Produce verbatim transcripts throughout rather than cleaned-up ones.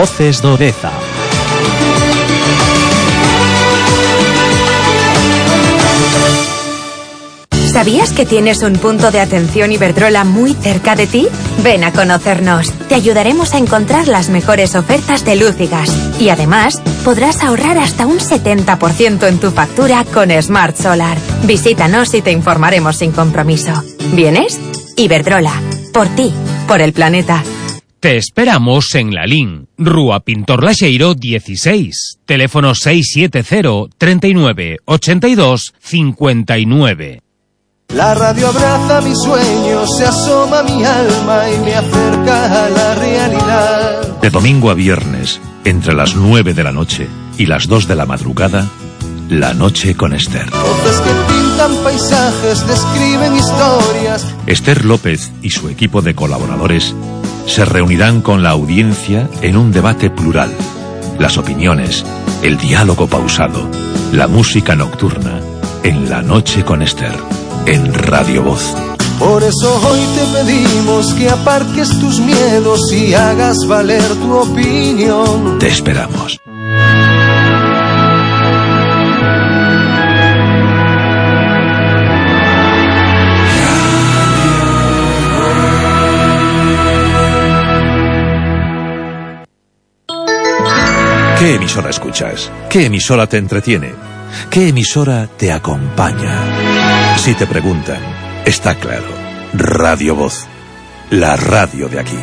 Voces do Deza. ¿Sabías que tienes un punto de atención Iberdrola muy cerca de ti? Ven a conocernos. Te ayudaremos a encontrar las mejores ofertas de luz y gas. Y además, podrás ahorrar hasta un setenta por ciento en tu factura con Smart Solar. Visítanos y te informaremos sin compromiso. ¿Vienes? Iberdrola. Por ti. Por el planeta. Te esperamos en Lalín, Rúa Pintor Laxeiro dieciséis, teléfono seis siete cero, treinta y nueve, ochenta y dos, cincuenta y nueve. La radio abraza mis sueños, se asoma mi alma y me acerca a la realidad. De domingo a viernes, entre las nueve de la noche y las dos de la madrugada, La Noche con Esther. Voces que pintan paisajes, describen historias. Esther López y su equipo de colaboradores se reunirán con la audiencia en un debate plural. Las opiniones, el diálogo pausado, la música nocturna, en La Noche con Esther. En Radio Voz. Por eso hoy te pedimos que aparques tus miedos y hagas valer tu opinión. Te esperamos. ¿Qué emisora escuchas? ¿Qué emisora te entretiene? ¿Qué emisora te acompaña? Si te preguntan, está claro, Radio Voz, la radio de aquí.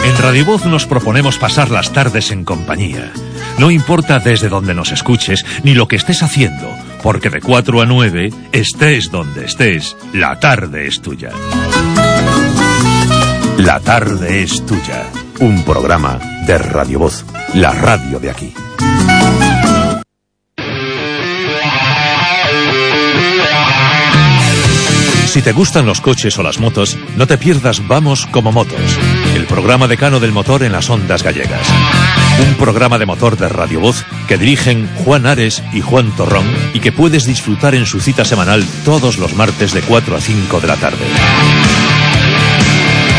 En Radio Voz nos proponemos pasar las tardes en compañía. No importa desde donde nos escuches, ni lo que estés haciendo, porque de cuatro a nueve, estés donde estés, la tarde es tuya. La tarde es tuya. Un programa de Radio Voz, la radio de aquí. Si te gustan los coches o las motos, no te pierdas Vamos como Motos, el programa decano del motor en las ondas gallegas. Un programa de motor de Radio Voz que dirigen Juan Ares y Juan Torrón y que puedes disfrutar en su cita semanal todos los martes de cuatro a cinco de la tarde.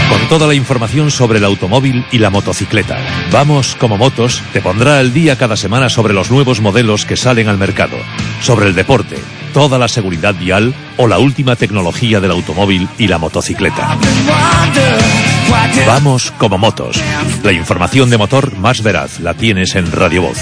Con toda la información sobre el automóvil y la motocicleta. Vamos como Motos te pondrá al día cada semana sobre los nuevos modelos que salen al mercado, sobre el deporte, toda la seguridad vial o la última tecnología del automóvil y la motocicleta. Vamos como Motos. La información de motor más veraz la tienes en Radio Voz.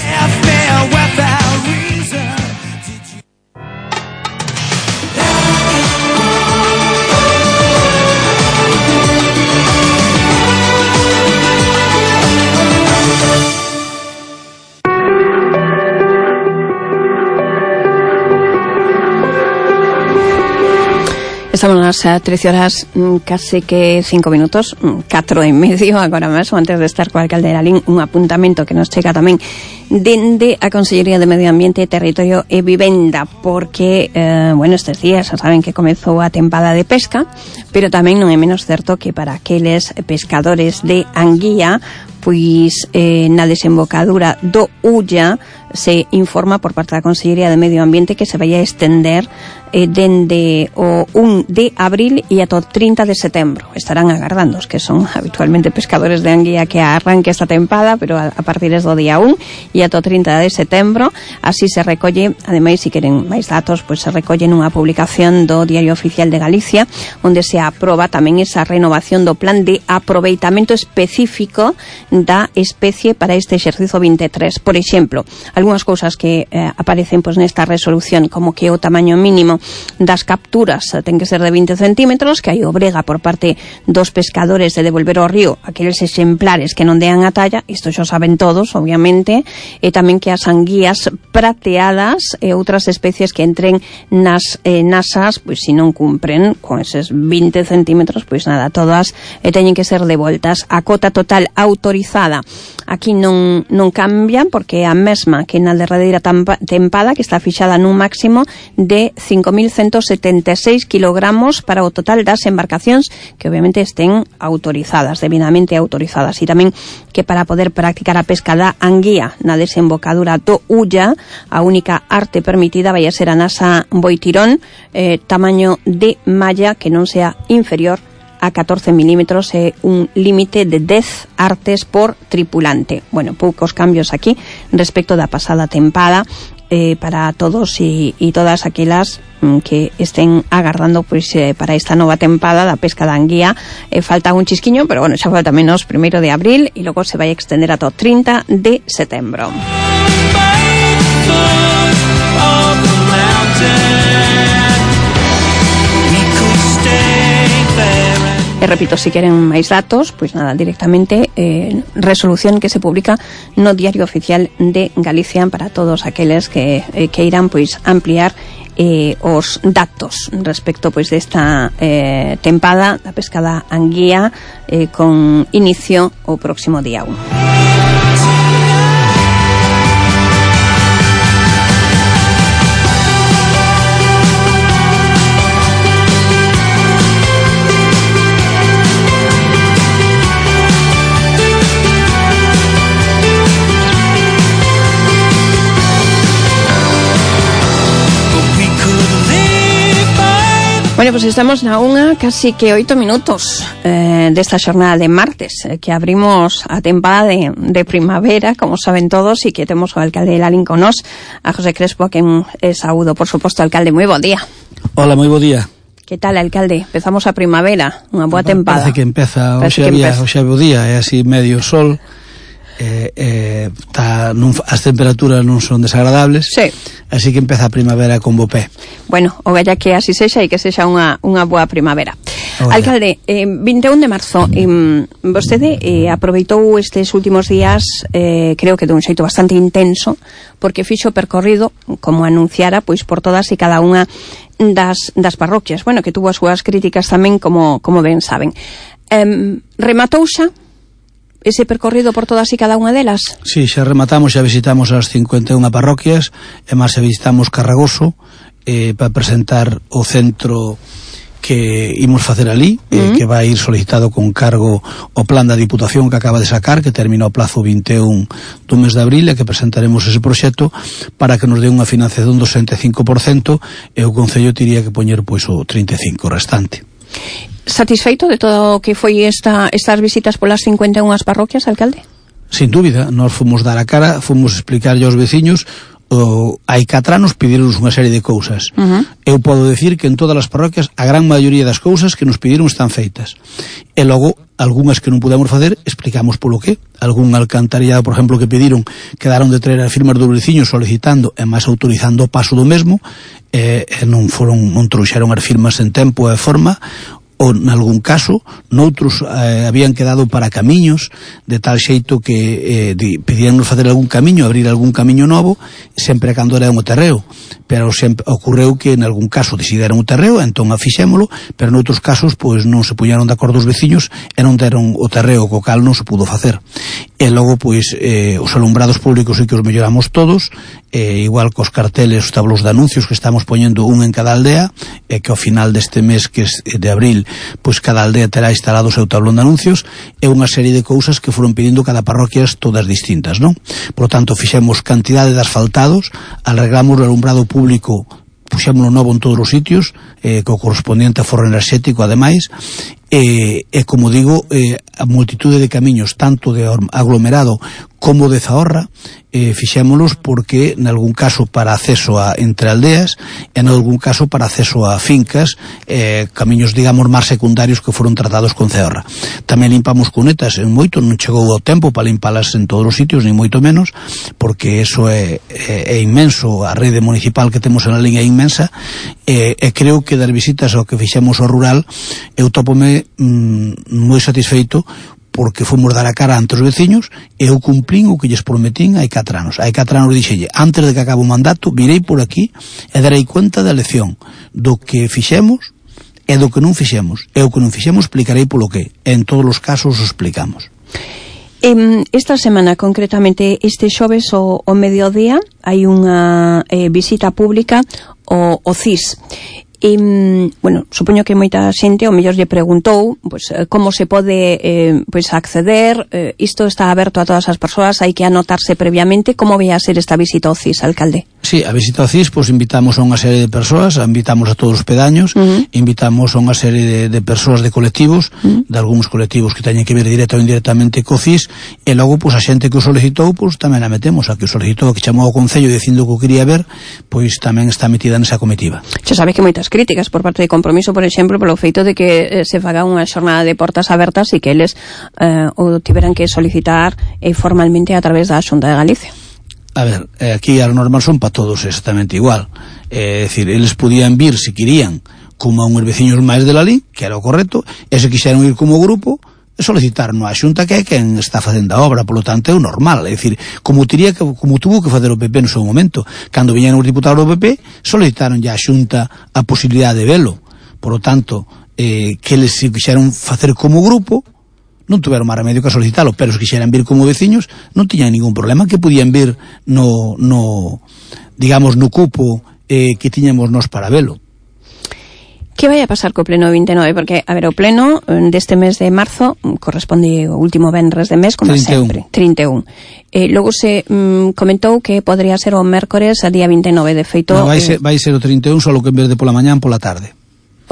Estamos nas trece horas, case que cinco minutos, catro e medio agora mesmo, antes de estar co alcalde de Lalín, un apuntamento que nos chega tamén dende a Consellería de Medio Ambiente, Territorio e Vivenda, porque, eh, bueno, estes días xa saben que comezou a tempada de pesca, pero tamén non é menos certo que para aqueles pescadores de anguía, pois eh, na desembocadura do Ulla se informa por parte da Consellería de Medio Ambiente que se vai a estender eh, dende o un de abril e ata o trinta de setembro. Estarán agardando os que son habitualmente pescadores de anguía que arranque esta tempada, pero a, a partir do día un e ata o trinta de setembro. Así se recolle, ademais, se queren máis datos, pois se recolle nunha publicación do Diario Oficial de Galicia, onde se aproba tamén esa renovación do plan de aproveitamento específico da especie para este exercicio veintitrés. Por exemplo, algunhas cousas que eh, aparecen pois nesta resolución, como que o tamaño mínimo das capturas ten que ser de vinte centímetros, que hai obrega por parte dos pescadores de devolver ao río aqueles exemplares que non dean a talla, isto xa saben todos, obviamente, e tamén que as anguías prateadas e outras especies que entren nas eh, nasas, pois se non cumpren con eses vinte centímetros, pois nada, todas eh, teñen que ser devoltas. A cota total autorizada aquí non, non cambia, porque é a mesma que que na derradeira tempada, que está fixada nun máximo de cinco mil ciento setenta e seis kilogramos para o total das embarcacións que obviamente estén autorizadas, debidamente autorizadas, e tamén que para poder practicar a pesca da anguía na desembocadura do Ulla, a única arte permitida vai a ser a nasa Boitirón, eh, tamaño de malla que non sea inferior a catorce milímetros, é un límite de dez artes por tripulante. Bueno, poucos cambios aquí respecto da pasada tempada, eh, para todos e, e todas aquelas mm, que estén agardando pois, eh, para esta nova tempada da pesca da anguía. Eh, falta un chisquiño, pero bueno, xa falta menos primeiro de abril e logo se vai a extender ata o trinta de setembro. E repito, se queren máis datos, pois nada, directamente eh, resolución que se publica no Diario Oficial de Galicia para todos aqueles que eh, queiran pois ampliar eh, os datos respecto pois desta eh, tempada da pesca da anguía eh, con inicio o próximo día uno. Bueno, pues estamos na unha casi que oito minutos eh, desta xornada de martes, eh, que abrimos a tempada de, de primavera, como saben todos, e que temos o alcalde de Lalín con nos, a José Crespo, que é saúdo, por suposto, alcalde. Moi bo día. Hola, moi bo día. Que tal, alcalde? Empezamos a primavera, unha boa tempada. Parece que empeza, hoxe había, hoxe bo día, é así medio sol, eh, eh, tá, nun, as temperaturas non son desagradables, sí. Así que empeza a primavera con bo pé. Bueno, o vella que así sexa e que sexa unha, unha boa primavera. Oye. Alcalde, eh, vinte e un de marzo, eh, vostede eh, aproveitou estes últimos días, eh, creo que de un xeito bastante intenso, porque fixo percorrido, como anunciara, pois por todas e cada unha das, das parroquias, bueno, que tuvo as súas críticas tamén, como, como ben saben. Eh, rematou xa ese percorrido por todas e cada unha delas? Sí, xa rematamos, xa visitamos as cincuenta e unha parroquias, e máis xa visitamos Carragoso, eh, para presentar o centro que imos facer ali, eh, uh-huh. que vai ir solicitado con cargo o plan da Diputación que acaba de sacar, que termina o plazo vinte e un do mes de abril, e que presentaremos ese proxecto para que nos dé unha financiación do sesenta e cinco por cento, e o Concello tiría que poñer pois o trinta e cinco por cento restante. Satisfeito de todo o que foi esta, estas visitas polas cincuenta e unha parroquias, alcalde? Sin dúbida, nós fomos dar a cara, fomos explicarlle aos veciños. O, hai catro anos pedironnos unha serie de cousas. Uh-huh. Eu podo decir que en todas as parroquias a gran maioría das cousas que nos pediron están feitas. E logo, algunhas que non pudemos facer, explicamos polo que. Algún alcantarillado, por exemplo, que pediron, quedaron de traer as firmas dos veciños solicitando e máis autorizando o paso do mesmo, e, e non foron, non trouxeron as firmas en tempo e forma, ou nalgún caso, noutros eh, habían quedado para camiños, de tal xeito que eh, pedíanos facer algún camiño, abrir algún camiño novo, sempre cando era un terreo, pero sempre ocorreu que en algún caso decidiran o terreo, entón afixémolo, pero noutros casos pois non se puñaron de acordo os veciños e non deron o terreo, co cal non se pudo facer. E logo pois eh, os alumbrados públicos sí que os melloramos todos, eh, igual cos carteles, os tablos de anuncios que estamos poñendo un en cada aldea, e que ao final deste mes que é de abril, pois cada aldea terá instalado o seu tablón de anuncios, e unha serie de cousas que foron pedindo cada parroquias todas distintas, non? Por tanto, fixemos cantidade de asfaltados, arreglamos o alumbrado público, puxémoslo novo en todos os sitios, eh, co correspondiente a forro enerxético, ademais, e, e como digo, eh, a multitude de camiños, tanto de aglomerado como de zahorra, eh, fixémolos porque, en algún caso, para acceso a entre aldeas, e en algún caso para acceso a fincas, eh, camiños, digamos, máis secundarios que foron tratados con zahorra. Tamén limpamos cunetas, en moito, non chegou o tempo para limpalas en todos os sitios, ni moito menos, porque eso é, é, é inmenso, a rede municipal que temos en a liña é inmensa, e, e creo que das visitas ao que fixemos ao rural, eu topome mm, moi satisfeito, porque fomos dar a cara ante os veciños, e eu cumplín o que lles prometín hai catro anos. Hai catro anos dixelle, antes de que acabe o mandato, virei por aquí e darei cuenta da lección do que fixemos e do que non fixemos. E o que non fixemos explicarei polo que. En todos os casos o explicamos. Eh, esta semana, concretamente este xoves o, o mediodía, hai unha eh, visita pública ao, ao C I S. E, bueno, supoño que moita xente o mellor lle preguntou pues, como se pode eh, pues, acceder, eh, isto está aberto a todas as persoas, hai que anotarse previamente. Como vai a ser esta visita ao C I S, alcalde? Sí, a visita ao C I S, pues, invitamos a unha serie de persoas, invitamos a todos os pedaños, uh-huh. invitamos a unha serie de, de persoas de colectivos, uh-huh. de algúns colectivos que teñen que ver directa ou indirectamente co C I S, e logo, pues, a xente que o solicitou, pues, tamén a metemos, a que o solicitou, que chamou ao Concello dicindo que o quería ver, pois tamén está metida nesa comitiva. Xa sabe que moitas críticas por parte de Compromiso, por exemplo, polo feito de que eh, se faga unha xornada de portas abertas e que eles eh, o tiveran que solicitar eh, formalmente a través da Xunta de Galicia. A ver, eh, aquí as normas son para todos exactamente igual. É eh, dicir, eles podían vir, se querían, como a uns veciños máis de la Lí, que era o correcto, e se quixeran ir como grupo, solicitar no a Xunta que é quen está facendo a obra, polo tanto é o normal. É dicir, como tiría que, como tuvo que facer o P P no seu momento, cando viñeron os diputados do P P, solicitaron ya a Xunta a posibilidade de velo. Por lo tanto, eh, que eles se quixeran facer como grupo, non tuveron máis remedio que solicitalo, pero se quixeran vir como veciños, non tiñan ningún problema, que podían vir no, no digamos, no cupo eh, que tiñamos nos para velo. Que vai a pasar co pleno vinte e nove? Porque, a ver, o pleno deste mes de marzo corresponde o último venres de mes, como trinta e un. sempre, trinta e un. Eh, logo se mm, comentou que podría ser o mércores a día vinte e nove, de feito... No, vai, eh, ser, vai ser o trinta e un, só que en vez de pola mañán, pola tarde.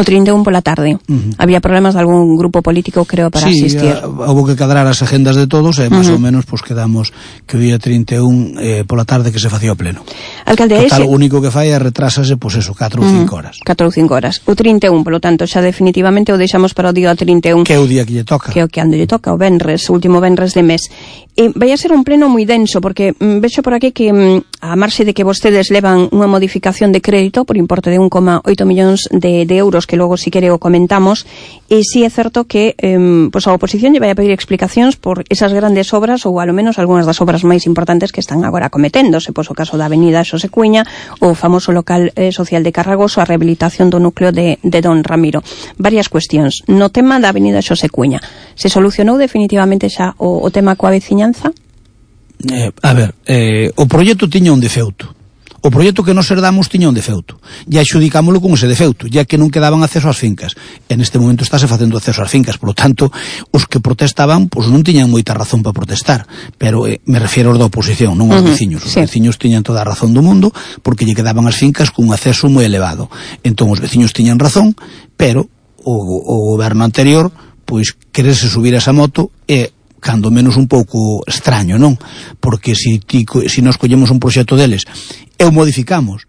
O trinta e un pola tarde. Uh-huh. Había problemas de algún grupo político, creo, para sí, asistir. Sí, houve que cadrar as agendas de todos e, máis uh-huh. ou menos, pues, quedamos que o día trinta e un eh, pola tarde que se facía o pleno. Alcalde, total, ese... o único que fai é retrásase, pois, pues, eso, catro ou cinco horas. catro ou cinco horas. O trinta e un, polo tanto, xa definitivamente o deixamos para o día trinta e un. Que é o día que lle toca. Que é o que ando lle toca, o venres, o último venres de mes. E vai a ser un pleno moi denso, porque mm, vexo por aquí que mm, a marxe de que vostedes levan unha modificación de crédito por importe de un coma oito millóns de, de euros, que logo, si quere, o comentamos, e si é certo que eh, pues a oposición lle vai a pedir explicacións por esas grandes obras, ou alo menos algunhas das obras máis importantes que están agora cometéndose, pois o caso da avenida Xosé Cuña, o famoso local eh, social de Carragoso, a rehabilitación do núcleo de, de Don Ramiro. Varias cuestións. No tema da avenida Xosé Cuña, se solucionou definitivamente xa o, o tema coa veciñanza? Eh, a ver, eh, o proxecto tiña un defeuto. O proxecto que nos herdamos tiña un defeuto. E axudicámoslo con ese defeuto, ya que non quedaban acceso ás fincas. En este momento estáse facendo acceso ás fincas, por lo tanto, os que protestaban, pois non tiñan moita razón para protestar. Pero eh, me refiero aos da oposición, non aos uh-huh. veciños. Os sí. veciños tiñan toda a razón do mundo, porque lle quedaban as fincas cun acceso moi elevado. Entón, os veciños tiñan razón, pero o, o goberno anterior, pois, quererse subir a esa moto e cando menos un pouco extraño, non? Porque si, ti, si nos collemos un proxecto deles e o modificamos,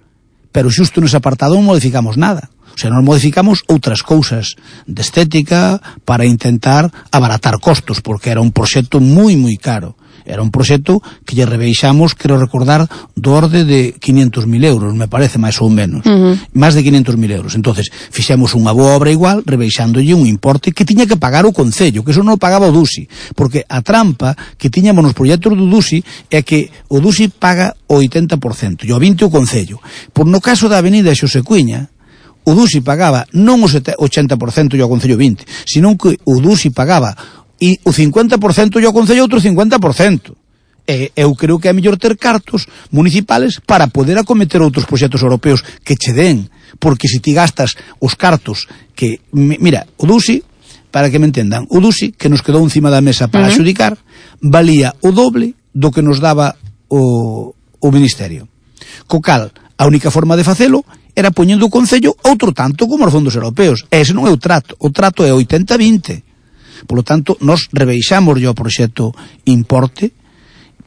pero xusto nese apartado non modificamos nada. O sea, non modificamos outras cousas de estética para intentar abaratar costos, porque era un proxecto moi, moi caro. Era un proxecto que lle rebeixamos, quero recordar, do orde de quinhentos mil euros, me parece, máis ou menos. Uh-huh. Máis de quinhentos mil euros. Entonces, fixemos unha boa obra igual, rebeixándolle un importe que tiña que pagar o Concello, que eso non o pagaba o Dusi. Porque a trampa que tiñamos nos proxectos do Dusi é que o Dusi paga o oitenta por cento, e o vinte por cento o Concello. Por no caso da avenida Xosé Cuña, o Dusi pagaba non o oitenta por cento e o Concello vinte por cento, senón que o Dusi pagaba e o cincuenta por cento e o Concello outro cincuenta por cento. E eu creo que é mellor ter cartos municipales para poder acometer outros proxectos europeos que che den, porque se ti gastas os cartos que, mira, o Dusi, para que me entendan, o Dusi que nos quedou encima da mesa para uh-huh. adxudicar, valía o doble do que nos daba o, o Ministerio. Co cal, a única forma de facelo era poñendo o Concello outro tanto como os fondos europeos. E ese non é o trato, o trato é oitenta vinte. Por lo tanto, nos rebeixamos o proxecto importe,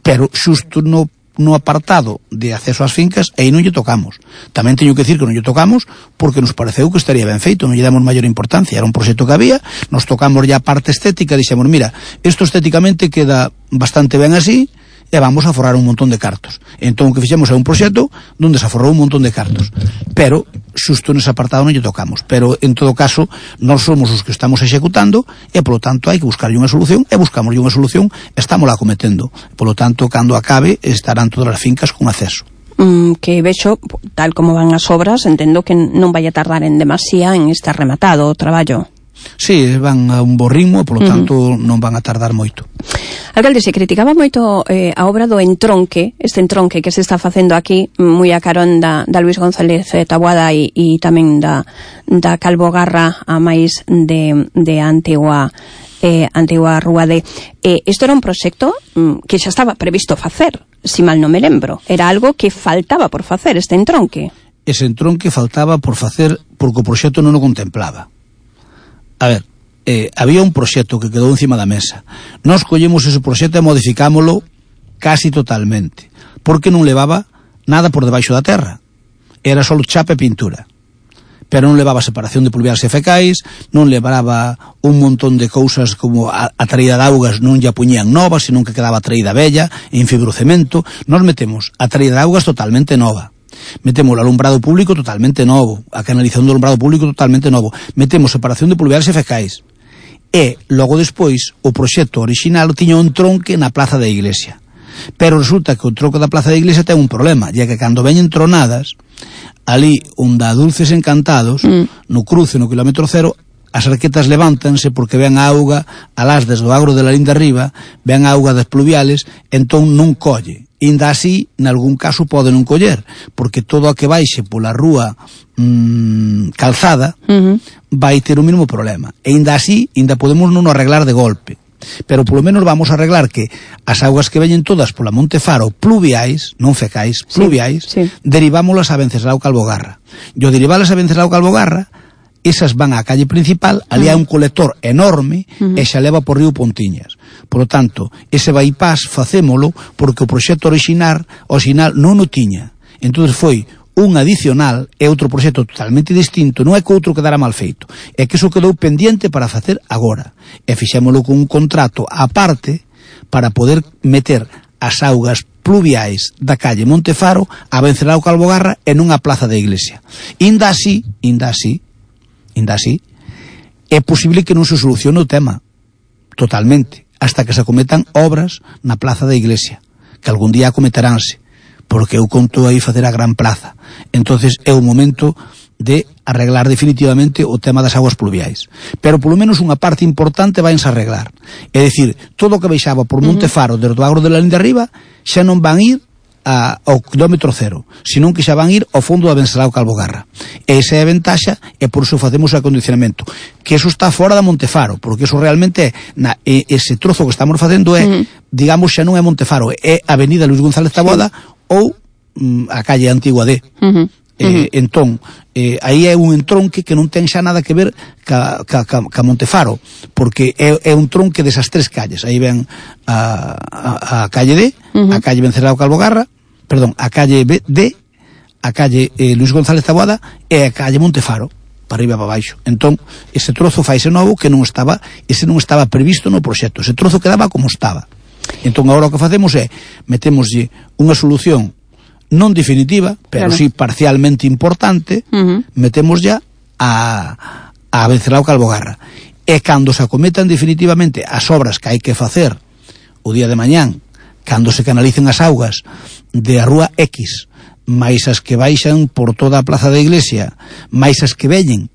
pero xusto no, no apartado de acceso ás fincas, aí non lle tocamos. Tamén teño que decir que non lle tocamos porque nos pareceu que estaría ben feito, non lle damos maior importancia. Era un proxecto que había, nos tocamos ya a parte estética, dixemos, mira, isto estéticamente queda bastante ben así, e vamos a forrar un montón de cartos. Entón, o que fixemos é un proxecto onde se aforrou un montón de cartos. Pero, xusto nese apartado non lle tocamos. Pero, en todo caso, nós somos os que estamos executando e, polo tanto, hai que buscarlle unha solución e buscamos unha solución e estamos lá cometendo. Polo tanto, cando acabe, estarán todas as fincas con acceso. Mm, que vexo, tal como van as obras, entendo que non vai a tardar en demasía en estar rematado o traballo. Sí, van a un bo ritmo, polo tanto uh -huh. non van a tardar moito. Alcalde, se criticaba moito eh, a obra do entronque, este entronque que se está facendo aquí, moi a carón da, da Luis González Taboada e, e tamén da, da Calvo Garra a máis de, de Antigua eh, Antigua Rúa de... Eh, isto era un proxecto mm, que xa estaba previsto facer, si mal non me lembro. Era algo que faltaba por facer, este entronque. Ese entronque faltaba por facer porque o proxecto non o contemplaba. A ver, eh, había un proxecto que quedou encima da mesa. Nós collemos ese proxecto e modificámolo casi totalmente, porque non levaba nada por debaixo da terra. Era só chapa e pintura. Pero non levaba separación de pluviais e fecais, non levaba un montón de cousas como a, a traída de augas, non lla puñían novas, senón que quedaba traída bella, en fibrocemento. Nos metemos a traída de augas totalmente nova. Metemos o alumbrado público totalmente novo, a canalización do alumbrado público totalmente novo, metemos separación de pluviais e fecais. E, logo despois, o proxecto orixinal tiña un tronque na plaza da iglesia. Pero resulta que o tronco da plaza da iglesia ten un problema, ya que cando veñen tronadas, ali onde a Dulces Encantados, mm. no cruce, no kilómetro cero, as arquetas levántanse porque ven a auga alás desde o agro de la linda arriba, ven a auga das pluviales, entón non colle. Inda así, nalgún caso pode non coller, porque todo a que baixe pola rúa mmm, calzada uh -huh. vai ter o mesmo problema. E inda así, inda podemos non arreglar de golpe. Pero polo menos vamos a arreglar que as augas que veñen todas pola Montefaro pluviais, non fecais, pluviais, sí, sí. derivámolas a Venceslao Calvo Garra. E ao derivalas a Venceslao Calvo Garra, esas van á calle principal, ali hai un colector enorme uh -huh. e xa leva por río Pontiñas. Por lo tanto, ese bypass facémolo porque o proxecto original, original non o tiña. Entón foi un adicional e outro proxecto totalmente distinto, non é que outro quedara mal feito, é que iso quedou pendiente para facer agora. E fixémolo con un contrato aparte para poder meter as augas pluviais da calle Montefaro a Venceslao Calvo Garra e non a plaza da iglesia. Inda así, inda así, inda así, é posible que non se solucione o tema totalmente, hasta que se acometan obras na plaza da iglesia, que algún día acometeránse, porque eu conto aí facer a gran plaza. Entonces é o momento de arreglar definitivamente o tema das aguas pluviais. Pero polo menos unha parte importante vainse a arreglar. É dicir, todo o que baixaba por Montefaro desde o agro de la linda arriba xa non van ir A, ao kilómetro cero, senón que xa van ir ao fondo da Venceslao Calvo Garra. E esa é a ventaxa, e por iso facemos o acondicionamento. Que eso está fora da Montefaro, porque eso realmente é, na, e, ese trozo que estamos facendo é, mm. digamos, xa non é Montefaro, é Avenida Luis González Taboada sí. ou mm, a calle Antigua D. Mm -hmm. Eh, uh -huh. Entón, eh, aí é un entronque que non ten xa nada que ver ca, ca, ca, ca Montefaro, porque é, é un tronque desas tres calles. Aí ven a, a, a calle D, uh -huh. a calle Venceslao Calvo Garra, perdón, a calle B, D, a calle eh, Luis González Taboada e a calle Montefaro, para arriba para baixo. Entón, ese trozo faise novo que non estaba, ese non estaba previsto no proxecto, ese trozo quedaba como estaba. Entón, agora o que facemos é, metémoslle unha solución non definitiva, pero claro. sí parcialmente importante, uh -huh. metemos ya a, a Venceslao Calvo Garra. E cando se acometan definitivamente as obras que hai que facer o día de mañán, cando se canalicen as augas de a rúa X, máis as que baixan por toda a plaza da iglesia, máis as que veñen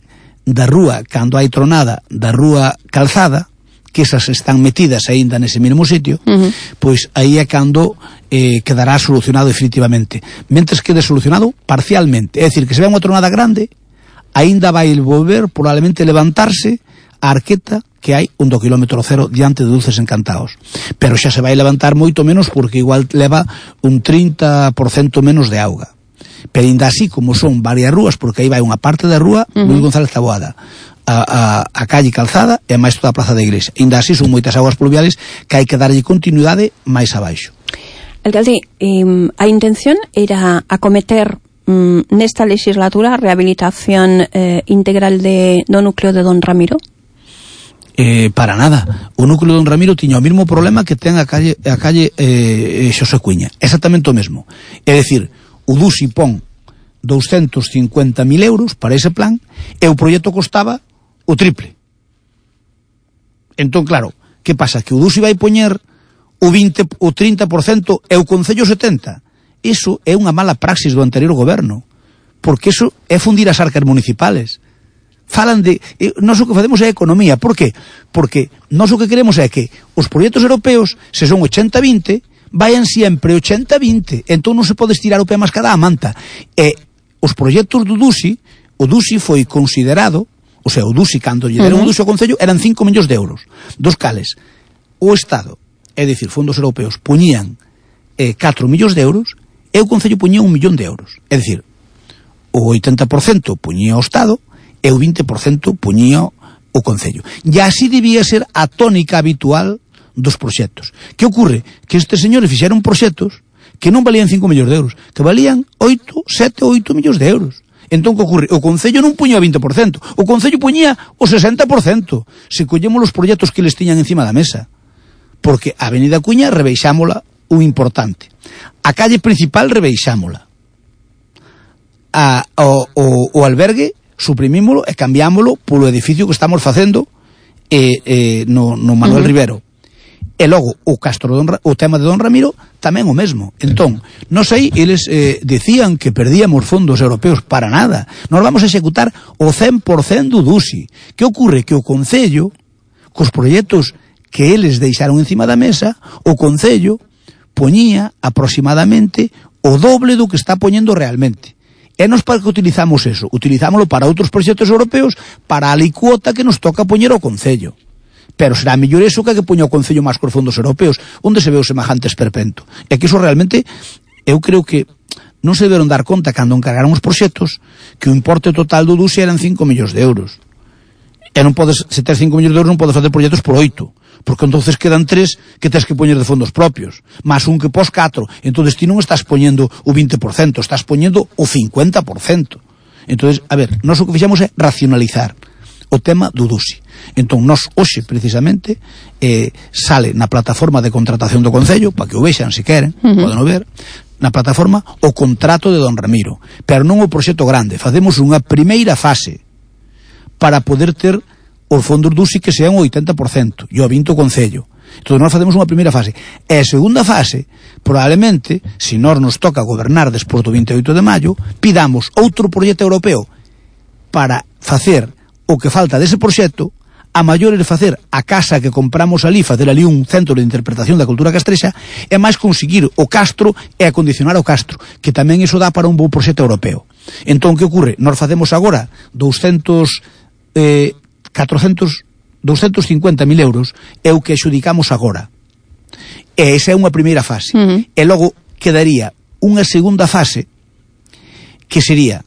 da rúa, cando hai tronada, da rúa calzada, que esas están metidas aínda nese mesmo sitio, uh -huh. pois aí é cando eh, quedará solucionado definitivamente. Mentres quede solucionado parcialmente, é dicir, que se ve unha tronada grande, aínda vai volver probablemente levantarse a arqueta que hai un do kilómetro cero diante de Dulces Encantados. Pero xa se vai levantar moito menos porque igual leva un trinta por cento menos de auga. Pero ainda así, como son varias rúas, porque aí vai unha parte da rúa, uh -huh. Luis González Taboada, A, a, a calle calzada e máis toda a plaza da iglesia. Ainda así son moitas aguas pluviales que hai que darlle continuidade máis abaixo. Alcalde, eh, a intención era acometer mm, nesta legislatura a rehabilitación eh, integral de, do núcleo de Don Ramiro? Eh, para nada. O núcleo de Don Ramiro tiña o mesmo problema que ten a calle, a calle eh, Xosé Cuña. Exactamente o mesmo. É dicir, o Dusi pon doscientos cincuenta mil euros para ese plan e o proxecto costaba o triple. Entón, claro, que pasa? Que o Dusi vai poñer o vinte, o trinta por cento e o Concello setenta por cento. Iso é unha mala praxis do anterior goberno, porque iso é fundir as arcas municipales. falan de... Eh, nós o que facemos é economía. Por que? Porque nós o que queremos é que os proxectos europeos, se son ochenta vinte, vayan sempre ochenta vinte. Entón non se pode estirar o pé máis cada a manta. E os proxectos do DUSI, o DUSI foi considerado, o sea, o DUSI, cando lle deron uh -huh. o DUSI ao Concello, eran cinco millóns de euros, dos cales o Estado, é dicir, fondos europeos, poñían eh, catro millóns de euros, e o Concello poñía un millón de euros. É dicir, o oitenta por cento poñía o Estado, e o vinte por cento poñía o Concello. E así debía ser a tónica habitual dos proxectos. Que ocorre? Que estes señores fixeron proxectos que non valían cinco millóns de euros, que valían oito, sete, oito millóns de euros. Entón, que ocorre? O Concello non puñía o vinte por cento, o Concello puñía o sesenta por cento, se collemos os proxectos que les tiñan encima da mesa. Porque a Avenida Cuña rebeixámola un importante. A calle principal rebeixámola. A, o, o, o albergue suprimímolo e cambiámolo polo edificio que estamos facendo eh, eh, no, no Manuel uh -huh. Rivero. E logo, o Castro Don, o tema de Don Ramiro tamén o mesmo. Entón, non sei, eles eh, decían que perdíamos fondos europeos para nada. Nos vamos a executar o cen por cento do DUSI. Que ocorre? Que o Concello, cos proxectos que eles deixaron encima da mesa, o Concello poñía aproximadamente o doble do que está poñendo realmente. E nos para que utilizamos eso? Utilizámoslo para outros proxectos europeos, para a licuota que nos toca poñer ao Concello. Pero será mellor eso que a que poña o Concello máis cos fondos europeos, onde se ve o semejante esperpento. E que iso realmente, eu creo que non se deberon dar conta cando encargaron os proxectos que o importe total do DUSI eran cinco millóns de euros. E non podes, se tes cinco millóns de euros non podes facer proxectos por oito, porque entonces quedan tres que tes que poñer de fondos propios, máis un que pos catro. Entonces ti non estás poñendo o vinte por cento, estás poñendo o cincuenta por cento. Entonces, a ver, nós o que fixemos é racionalizar o tema do DUSI. Entón, nós, hoxe, precisamente, eh, sale na plataforma de contratación do Concello, para que o vexan, se queren, uh -huh. poden ver, na plataforma, o contrato de Don Ramiro. Pero non o proxecto grande. Facemos unha primeira fase para poder ter os fondos DUSI que sean o oitenta por cento, e o vinte por cento o Concello. Entón, nós facemos unha primeira fase. E a segunda fase, probablemente, se nós nos toca gobernar despois do vinte e oito de maio, pidamos outro proxecto europeo para facer o que falta dese proxecto, a maior é facer a casa que compramos ali, facer ali un centro de interpretación da cultura castrexa, e máis conseguir o Castro e acondicionar o Castro, que tamén iso dá para un bo proxecto europeo. Entón, que ocorre? Nós facemos agora doscientos, eh, catrocentos, doscientos cincuenta mil euros, é o que adxudicamos agora. E esa é unha primeira fase. Uh -huh. E logo quedaría unha segunda fase, que sería...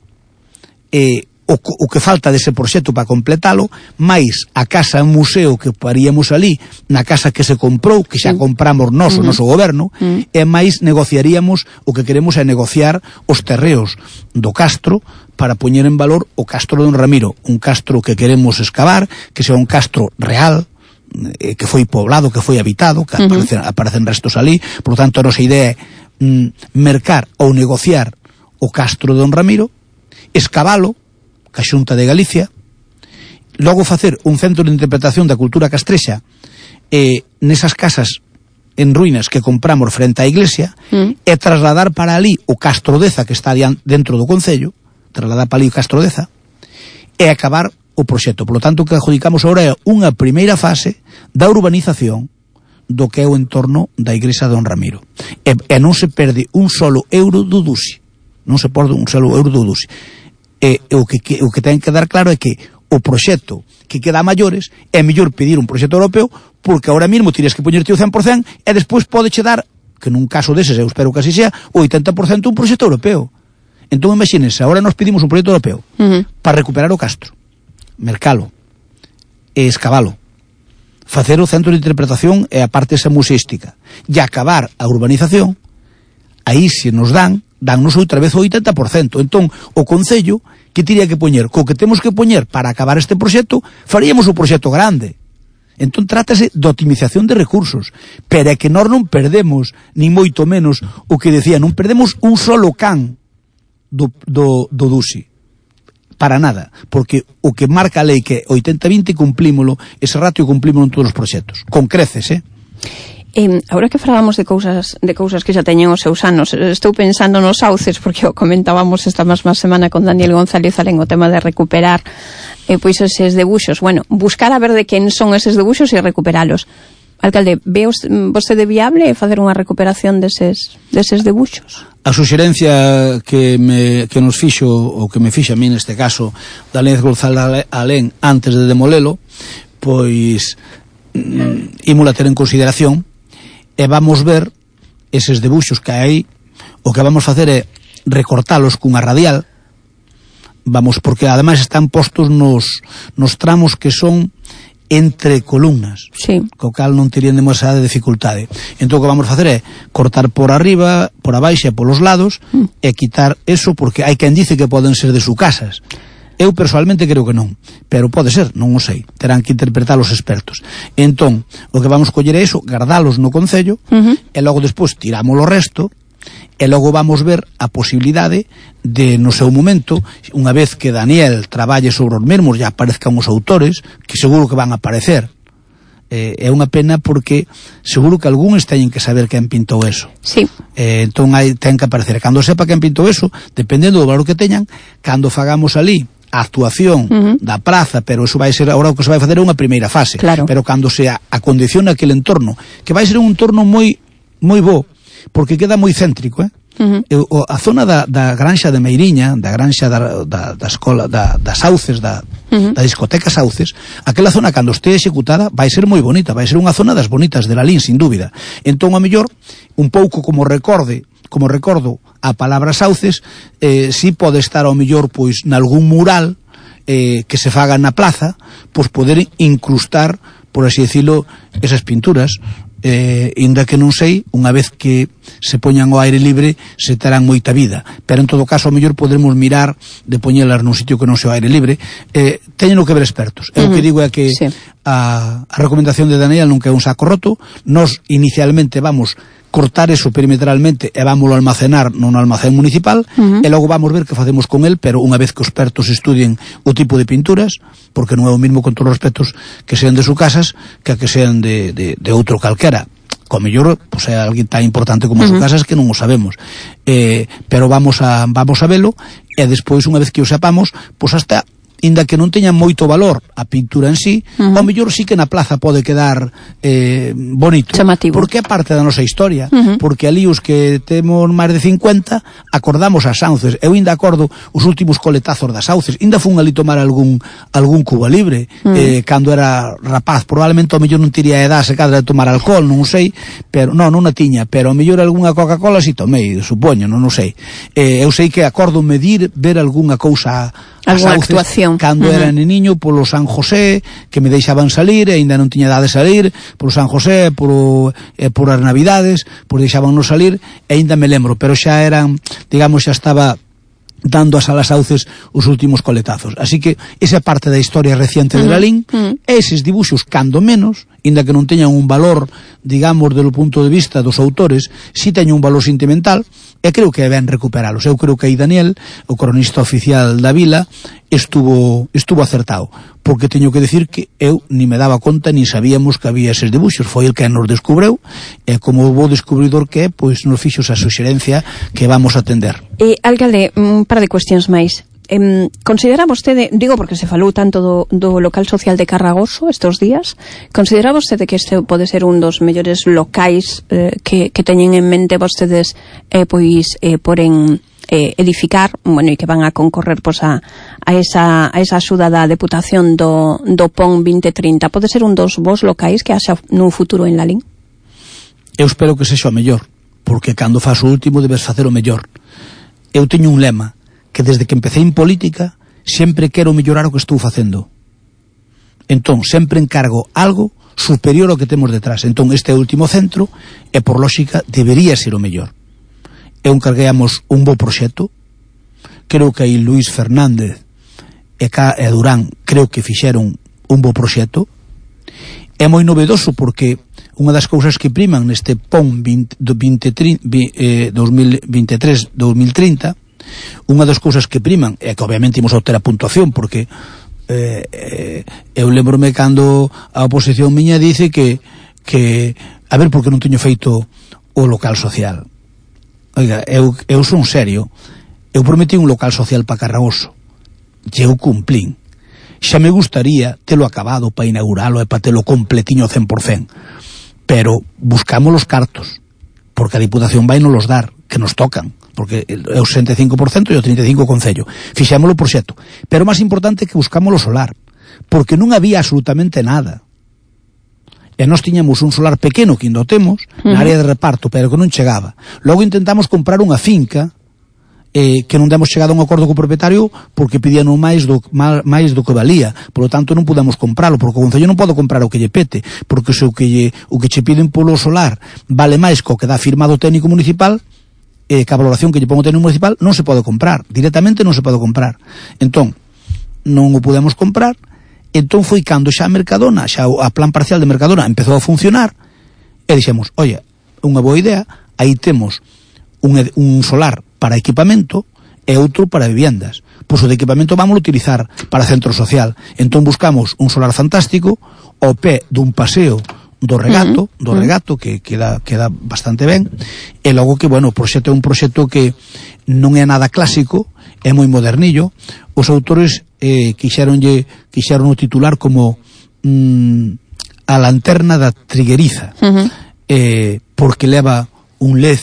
Eh, O, o que falta dese proxecto para completalo, máis a casa museo que paríamos ali, na casa que se comprou, que xa compramos nós, o noso goberno, uh -huh. e máis negociaríamos, o que queremos é negociar os terreos do Castro para poñer en valor o Castro Don Ramiro, un castro que queremos excavar, que sea un castro real, eh, que foi poblado, que foi habitado, que uh -huh. aparecen, aparecen restos ali. Por lo tanto, a nosa idea é mm, mercar ou negociar o Castro Don Ramiro, escavalo ca Xunta de Galicia, logo facer un centro de interpretación da cultura castrexa eh, nesas casas en ruínas que compramos frente á iglesia, mm. e trasladar para ali o Castro Deza, que está dentro do Concello, trasladar para ali o Castro Deza, e acabar o proxecto. Por lo tanto, o que adjudicamos agora é unha primeira fase da urbanización do que é o entorno da igrexa de Don Ramiro. E, e non se perde un solo euro do DUSI. Non se perde un solo euro do DUSI. E, o, que, que, o que ten que dar claro é que o proxecto que queda a maiores é mellor pedir un proxecto europeo, porque ahora mesmo tires que poñerte o cen por cento e despois podeche dar, que nun caso deses eu espero que así sea, o oitenta por cento un proxecto europeo. Entón imagínense, agora nos pedimos un proxecto europeo uh -huh. para recuperar o Castro, mercalo e escavalo, facer o centro de interpretación e a parte esa museística, e acabar a urbanización. Aí se nos dan dannos outra vez o oitenta por cento. Entón, o Concello, que tiría que poñer, co que temos que poñer para acabar este proxecto, faríamos o proxecto grande. Entón, trátase de optimización de recursos, pero é que nós non perdemos, ni moito menos, o que decía, non perdemos un solo can do, do, do DUSI. Para nada, porque o que marca a lei que oitenta vinte cumplímolo, ese ratio cumplímolo en todos os proxectos. Con creces, eh? Eh, agora que falábamos de cousas de cousas que xa teñen os seus anos, estou pensando nos sauces, porque o comentábamos esta mesma semana con Daniel González Alén o tema de recuperar eh, pois eses debuxos. Bueno, buscar a ver de quen son eses debuxos e recuperalos. Alcalde, ve vostede viable facer unha recuperación deses, deses debuxos? A suxerencia que, me, que nos fixo, ou que me fixa a mí neste caso, Daniel González Alén, antes de demolelo, pois mm, ímola ter en consideración, e vamos ver eses debuxos que hai. O que vamos facer é recortalos cunha radial, vamos, porque ademais están postos nos, nos tramos que son entre columnas, sí, co cal non terían demasiada dificultade. Entón o que vamos facer é cortar por arriba, por abaixo e polos lados, mm. e quitar eso, porque hai quen dice que poden ser de su casas. Eu personalmente creo que non, pero pode ser, non o sei, terán que interpretar os expertos. Entón, o que vamos coller é iso, guardalos no concello, uh-huh. e logo despois tiramos o resto, e logo vamos ver a posibilidade de, no seu momento, unha vez que Daniel traballe sobre os mesmos e aparezcan os autores, que seguro que van a aparecer. Eh, é unha pena porque seguro que algúns teñen que saber quen pintou eso. Sí. Eh, entón hai, ten que aparecer. Cando sepa quen pintou eso, dependendo do valor que teñan, cando fagamos ali a actuación uh-huh. da praza, pero eso vai ser, agora o que se vai fazer é unha primeira fase, claro. Pero cando se acondiciona aquele entorno, que vai ser un entorno moi moi bo, porque queda moi céntrico, eh? Uh-huh. E, o, a zona da, da granxa de Meiriña, da granxa da, da, da escola, da, das Sauces, da, uh-huh. da discoteca Sauces, aquela zona cando este executada vai ser moi bonita, vai ser unha zona das bonitas de Lalín, sin dúbida. Entón, a mellor, un pouco como recorde, como recordo a palabra Sauces, eh, si pode estar ao mellor pois nalgún mural eh, que se faga na plaza, pois poder incrustar, por así decirlo, esas pinturas, eh, inda que non sei, unha vez que se poñan ao aire libre se terán moita vida, pero en todo caso ao mellor podremos mirar de poñelas nun sitio que non sea ao aire libre. Eh, teñen que ver expertos. Uh-huh. Eu o que digo é que sí. a, a recomendación de Daniel non que é un saco roto. Nos inicialmente vamos cortar eso perimetralmente e vámoslo almacenar nun almacén municipal, uh-huh. e logo vamos ver que facemos con el, pero unha vez que os expertos estudien o tipo de pinturas, porque non é o mismo con todos os respetos que sean de su casas que a que sean de, de, de outro calquera. Co mellor, pues, é alguén tan importante como uh-huh. as casas que non o sabemos. Eh, pero vamos a vamos a velo, e despois, unha vez que o sepamos, pois pues hasta inda que non teña moito valor a pintura en sí, uh-huh. ao mellor sí que na plaza pode quedar eh, bonito, chamativo, porque é parte da nosa historia, uh-huh. porque ali os que temos máis de cincuenta acordamos as Sauces. Eu ainda acordo os últimos coletazos das Sauces, ainda fun ali tomar algún algún Cuba Libre, uh-huh. eh, cando era rapaz, probablemente ao mellor non tiría edad se cadra de tomar alcohol, non sei, pero non, non a tiña, pero ao mellor algunha Coca-Cola si tomei, supoño, non o sei. Eh, eu sei que acordo medir, ver algunha cousa, alguna actuación cando uh-huh. era neniño polo San José, que me deixaban salir e aínda non tiña edade de salir, polo San José, polo, eh, por as Navidades, pois deixábanos salir, e aínda me lembro, pero xa eran, digamos, xa estaba dando a Salas Sauces os últimos coletazos. Así que esa parte da historia reciente uh-huh. de Lalín, uh-huh. eses dibuxos, cando menos, inda que non teñan un valor, digamos, do punto de vista dos autores, si teñen un valor sentimental, e creo que ben recuperalos. Eu creo que aí Daniel, o cronista oficial da vila, estuvo estuvo acertado, porque teño que decir que eu ni me daba conta, ni sabíamos que había eses dibuxos. Foi el que nos descubreu, e como o bo descubridor que é, pois nos fixo esa suxerencia que vamos a atender. Eh, alcalde, un par de cuestións máis. Eh, considera vostede, digo porque se falou tanto do, do local social de Carragoso estes días, considera vostede que este pode ser un dos mellores locais eh, que, que teñen en mente vostedes eh, pois eh, poren eh, edificar, bueno, e que van a concorrer pois, a, a, esa, a esa axuda da Deputación do, do P O N vinte trinta? Pode ser un dos vos locais que haxa nun futuro en Lalín? Eu espero que sexa o mellor, porque cando faz o último debes facer o mellor. Eu teño un lema, que desde que empecé en política sempre quero mellorar o que estou facendo. Entón, sempre encargo algo superior ao que temos detrás. Entón, este último centro, e por lógica, debería ser o mellor. Eu encargueamos un bo proxecto, creo que aí Luís Fernández e, Ca, e Durán creo que fixeron un bo proxecto. É moi novedoso porque unha das cousas que priman neste P O N dos mil vinte e tres dos mil trinta, unha das cousas que priman é que obviamente imos obter a puntuación, porque eh, eh, eu lembrome cando a oposición miña dice que que a ver por que non teño feito o local social. Oiga, eu, eu son serio, eu prometí un local social para Carragoso, e eu cumplín. Xa me gustaría telo acabado para inauguralo e para telo completiño cen por cen, pero buscamos os cartos, porque a Diputación vai nos los dar, que nos tocan, porque é o sesenta e cinco por cento e o trinta e cinco por cento Concello. Fixámoslo o proxecto, pero máis importante que buscamos o solar, porque non había absolutamente nada. E nós tiñamos un solar pequeno que ainda o temos, uh-huh, na área de reparto, pero que non chegaba. Logo intentamos comprar unha finca eh, que non demos chegado a un acordo co propietario porque pedían máis do, máis do que valía. Por lo tanto non podemos compralo, porque o Concello non pode comprar o que lle pete, porque se o que lle, o que che piden polo solar vale máis co que dá firmado o técnico municipal, eh, que a valoración que lle pon o técnico municipal non se pode comprar, directamente non se pode comprar. Entón, non o podemos comprar. Entón foi cando xa a Mercadona, xa a plan parcial de Mercadona empezou a funcionar, e dixemos, oye, unha boa idea, aí temos un, un solar para equipamento e outro para viviendas. Pois o de equipamento vamos a utilizar para centro social. Entón buscamos un solar fantástico ao pé dun paseo do regato, uh-huh, do regato que queda queda bastante ben, e logo que, bueno, o proxecto é un proxecto que non é nada clásico, é moi modernillo. Os autores eh, quixeronlle quixeron o titular como mm, a lanterna da trigueriza, uh-huh, eh, porque leva un L E D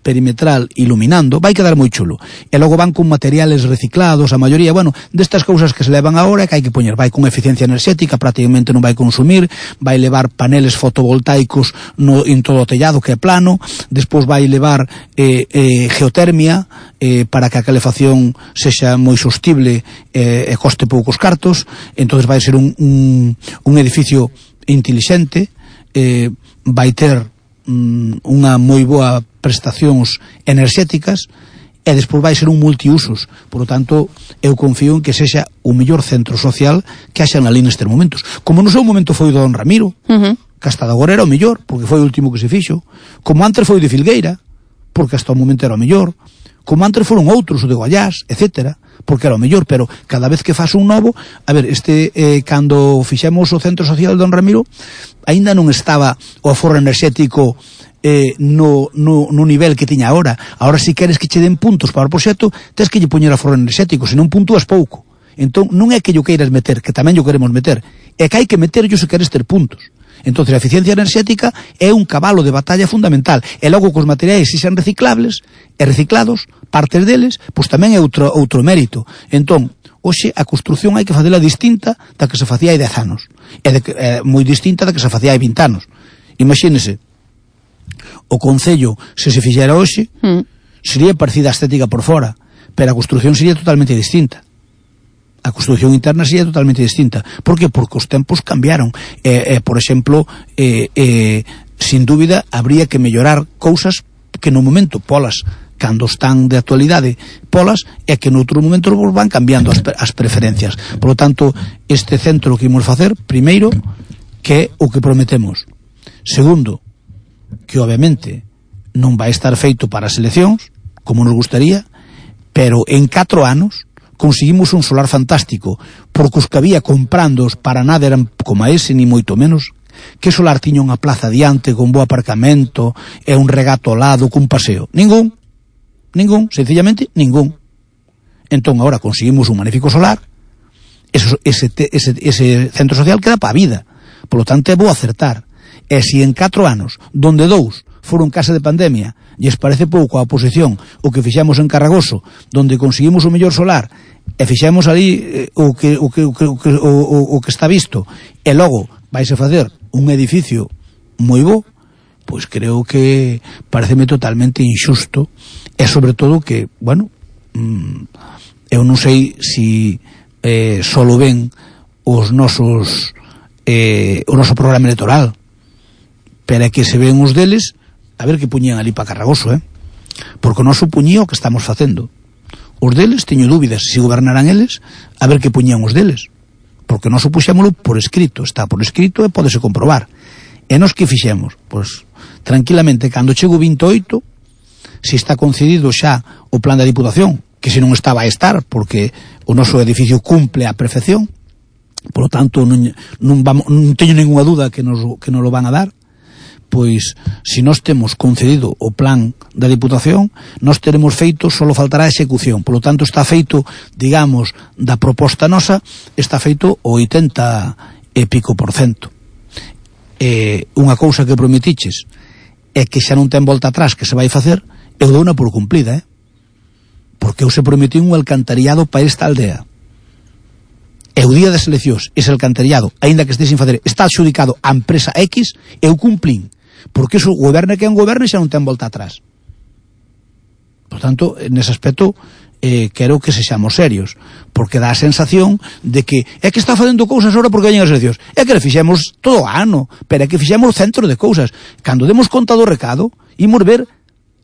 perimetral iluminando, vai quedar moi chulo. E logo van con materiales reciclados, a maioría, bueno, destas cousas que se levan agora que hai que poñer, vai con eficiencia enerxética, prácticamente non vai consumir, vai levar paneles fotovoltaicos no, en todo o tellado que é plano, despois vai levar eh, eh, geotermia eh, para que a calefacción sexa moi sostible eh, e coste poucos cartos. Entonces vai ser un, un, un edificio intelixente, eh, vai ter mm, unha moi boa prestacións enerxéticas, e despois vai ser un multiusos. Por lo tanto, eu confío en que sexa o mellor centro social que haxa na Lin nestes momentos. Como no seu momento foi o Don Ramiro, uh-huh, que hasta agora era o mellor, porque foi o último que se fixo. Como antes foi o de Filgueira, porque hasta o momento era o mellor. Como antes foron outros, o de Goiás, etcétera, porque era o mellor. Pero cada vez que faz un novo, a ver, este eh, cando fixemos o centro social de Don Ramiro, aínda non estaba o aforro enerxético Eh, no, no, no nivel que tiña agora. Agora, se si queres que che den puntos para o proxecto, tens que lle poñer aforro enerxético, se non puntúas pouco. Entón, non é que yo queiras meter, que tamén yo queremos meter, é que hai que meter yo se queres ter puntos. Entón, a eficiencia enerxética é un cabalo de batalla fundamental. E logo, cos materiais, se xan reciclables e reciclados, partes deles, pois tamén é outro, outro mérito. Entón, hoxe a construción hai que facela distinta da que se facía hai dez anos. É, de, é moi distinta da que se facía hai vinte anos. Imagínese, o Concello, se se fixera hoxe, mm. sería parecida a estética por fora, pero a construción sería totalmente distinta. A construción interna sería totalmente distinta. Por que? Porque os tempos cambiaron. Eh, eh, por exemplo, eh, eh, sin dúbida, habría que mellorar cousas que no momento, polas, cando están de actualidade, polas, e que noutro momento van cambiando as, as preferencias. Por lo tanto, este centro que imos facer, primeiro, que é o que prometemos. Segundo, que obviamente non vai estar feito para as eleccións, como nos gustaría, pero en catro anos conseguimos un solar fantástico, porque os que había comprándoos para nada eran como ese, ni moito menos. Que solar tiña unha plaza diante con bo aparcamento e un regato ao lado cun paseo? Ningún, ningún, sencillamente ningún. Entón agora conseguimos un magnífico solar, ese, ese, ese, ese centro social queda para a vida, por lo tanto é bo acertar. E se en catro anos, donde dous foron casa de pandemia, lles parece pouco a oposición o que fixamos en Carragoso, donde conseguimos o mellor solar, e fixamos ali eh, o, que, o, que, o, que, o, o, o que está visto, e logo vaise facer un edificio moi bo, pois creo que pareceme totalmente injusto, e sobre todo que, bueno, mmm, eu non sei se eh, solo ven os nosos eh, o noso programa electoral, pero é que se ven os deles, a ver que puñían ali para Carragoso, eh? Porque o noso puñía o que estamos facendo. Os deles, teño dúbidas se gobernarán eles, a ver que puñían os deles. Porque nós o puxémolo por escrito, está por escrito e pódese comprobar. E nos que fixemos? Pois, tranquilamente, cando chego vinte e oito, se está concedido xa o plan da Diputación, que se non estaba a estar, porque o noso edificio cumple a perfección, por lo tanto, non, non, vamos, non teño ninguna duda que nos, que nos lo van a dar. pois, se nós temos concedido o plan da Diputación, nós teremos feito, só faltará a execución. Por lo tanto, está feito, digamos, da proposta nosa, está feito o oitenta e pico por cento. Eh, unha cousa que prometiches é que xa non ten volta atrás que se vai facer, eu dou unha por cumplida, eh? Porque eu se prometi un alcantariado para esta aldea. E o día das eleccións, ese alcantariado, aínda que este sin facer, está adxudicado a empresa X, eu cumplín. Porque iso, goberne que é un goberno e xa non ten volta atrás. Por tanto, nese aspecto, eh, quero que sexamos serios, porque dá a sensación de que é que está facendo cousas agora porque veñen as eleccións. É que le fixemos todo o ano, pero é que fixemos centro de cousas. Cando demos conta do recado, imos ver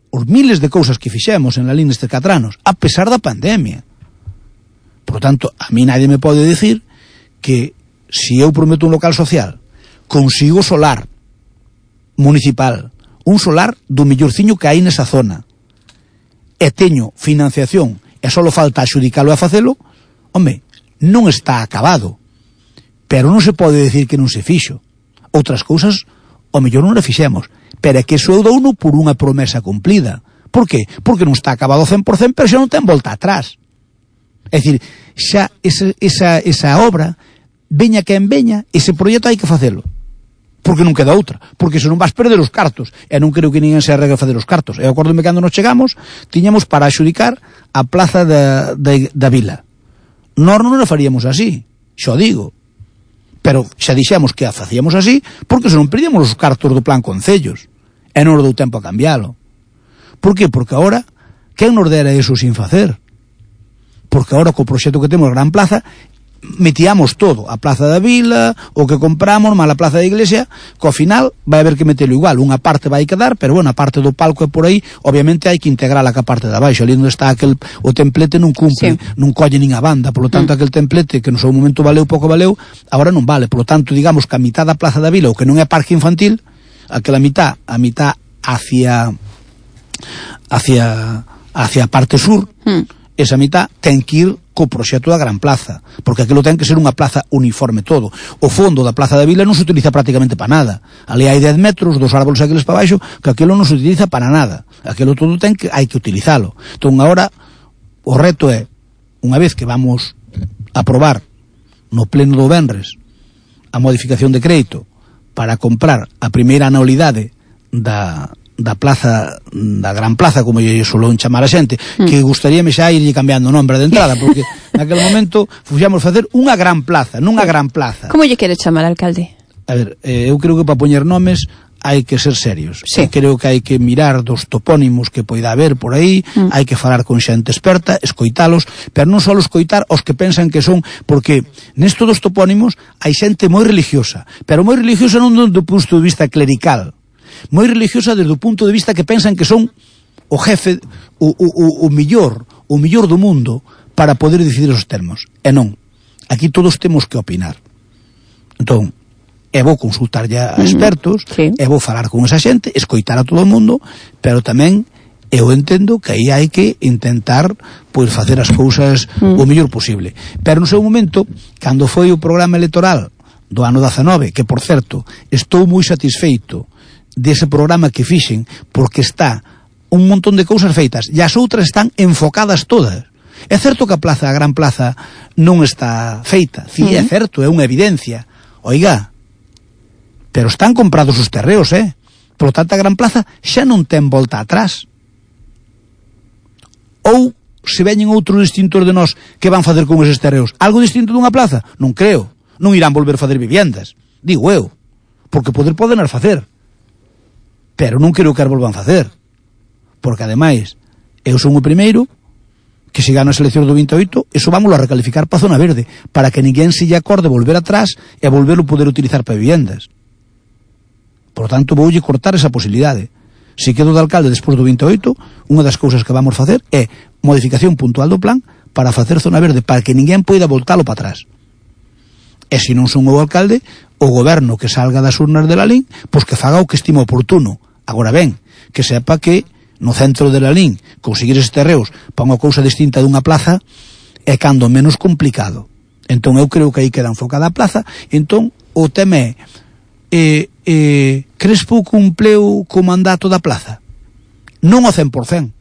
os miles de cousas que fixemos en la línea nestes catro anos, a pesar da pandemia. Por tanto, a mí nadie me pode dicir que se eu prometo un local social, consigo solar municipal, un solar do millorciño que hai nesa zona, e teño financiación e só falta axudicalo a facelo, home, non está acabado, pero non se pode decir que non se fixo. Outras cousas o mellor non le fixemos, pero é que iso eu douno por unha promesa cumplida. Por qué? Porque non está acabado cen por cento, pero xa non ten volta atrás. É dicir, xa esa, esa, esa obra, veña que en veña, ese proxecto hai que facelo. Porque non queda outra, porque se non vas perder os cartos, e non creo que ninguén se arregle a facer os cartos. Eu acordome cando nos chegamos, tiñamos para axudicar a plaza da, da, da vila. Nós non a faríamos así, xo digo, pero xa dixemos que a facíamos así, porque se non perdíamos os cartos do plan concellos, e non nos dou tempo a cambiálo. Por que? Porque agora, quen nos dera eso sin facer? Porque agora co proxecto que temos Gran Plaza, metíamos todo, a Plaza da Vila, o que compramos, mal a Plaza da Iglesia, que ao final vai haber que metelo igual, unha parte vai quedar, pero bueno, a parte do palco é por aí, obviamente hai que integrala ca parte de abaixo, ali onde está aquel, o templete non cumple, sí. Non colle nin a banda, por lo tanto mm. aquel templete que no seu momento valeu, pouco valeu, agora non vale, por lo tanto, digamos que a mitad da Plaza da Vila, o que non é parque infantil, aquela mitad, a mitad hacia hacia hacia a parte sur, mm. esa mitad ten que ir co proxecto da Gran Plaza, porque aquilo ten que ser unha plaza uniforme todo. O fondo da Plaza da Vila non se utiliza prácticamente para nada. Ali hai dez metros, dos árboles aqueles para baixo, que aquilo non se utiliza para nada. Aquilo todo ten que hai que utilizalo. Entón agora o reto é, unha vez que vamos a aprobar no pleno do venres a modificación de crédito para comprar a primeira anualidade da da plaza, da Gran Plaza, como lle solón chamar a xente, mm. que gustaríame xa irlle cambiando o nombre de entrada, porque naquele momento fuxamos facer unha gran plaza, non unha gran plaza. Como lle quere chamar, alcalde? A ver, eh, eu creo que para poñer nomes hai que ser serios. Sí. Creo que hai que mirar dos topónimos que poida haber por aí, mm. hai que falar con xente experta, escoitalos, pero non só escoitar os que pensan que son, porque nesto dos topónimos hai xente moi religiosa, pero moi religiosa non do punto de vista clerical, moi religiosa desde o punto de vista que pensan que son o jefe, o, o, o, o millor, o millor do mundo para poder decidir os termos. E non. Aquí todos temos que opinar. Entón, é vou consultar ya a expertos, uh-huh. sí. é vou falar con esa xente, escoitar a todo o mundo, pero tamén eu entendo que aí hai que intentar pois facer as cousas uh-huh. o mellor posible. Pero no seu momento, cando foi o programa electoral do ano dezanove, que por certo, estou moi satisfeito dese programa que fixen, porque está un montón de cousas feitas, e as outras están enfocadas todas. É certo que a plaza, a Gran Plaza, non está feita, si, uh-huh. é certo, é unha evidencia. Oiga, pero están comprados os terreos, eh? Por lo tanto, a Gran Plaza xa non ten volta atrás. Ou se veñen outros distintos de nós que van facer con eses terreos, algo distinto dunha plaza? Non creo. Non irán volver a facer viviendas, digo eu, porque poder poden as facer, pero non quero que as volvan a facer, porque ademais eu son o primeiro que se gana as eleccións do vinte e oito, eso vámoslo a recalificar para zona verde, para que ninguén se lle acorde volver atrás e volverlo poder utilizar para viviendas. Por tanto, voulle cortar esa posibilidade. Se quedo de alcalde despois do vinte e oito, unha das cousas que vamos facer é modificación puntual do plan para facer zona verde, para que ninguén poida voltalo para atrás. E se non son o alcalde, o goberno que salga das urnas de Lalín, pois que faga o que estime oportuno. Agora ben, que sepa que no centro de Lalín conseguir eses terreos para unha cousa distinta dunha plaza é cando menos complicado. Entón eu creo que aí queda enfocada a plaza. Entón o tema é, eh, eh, Crespo cumpleu co mandato da plaza? Non ao cen por cen,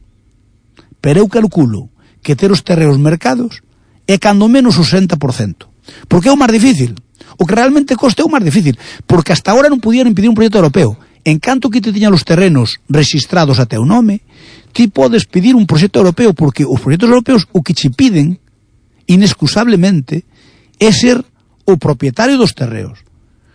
pero eu calculo que ter os terreos mercados é cando menos o sesenta por cento, porque é o máis difícil. O que realmente costa é o máis difícil, porque hasta agora non podían impedir un proxecto europeo. En canto que te tiñan os terrenos registrados a teu nome, ti podes pedir un proxecto europeo, porque os proxectos europeos o que che piden, inexcusablemente, é ser o propietario dos terreos.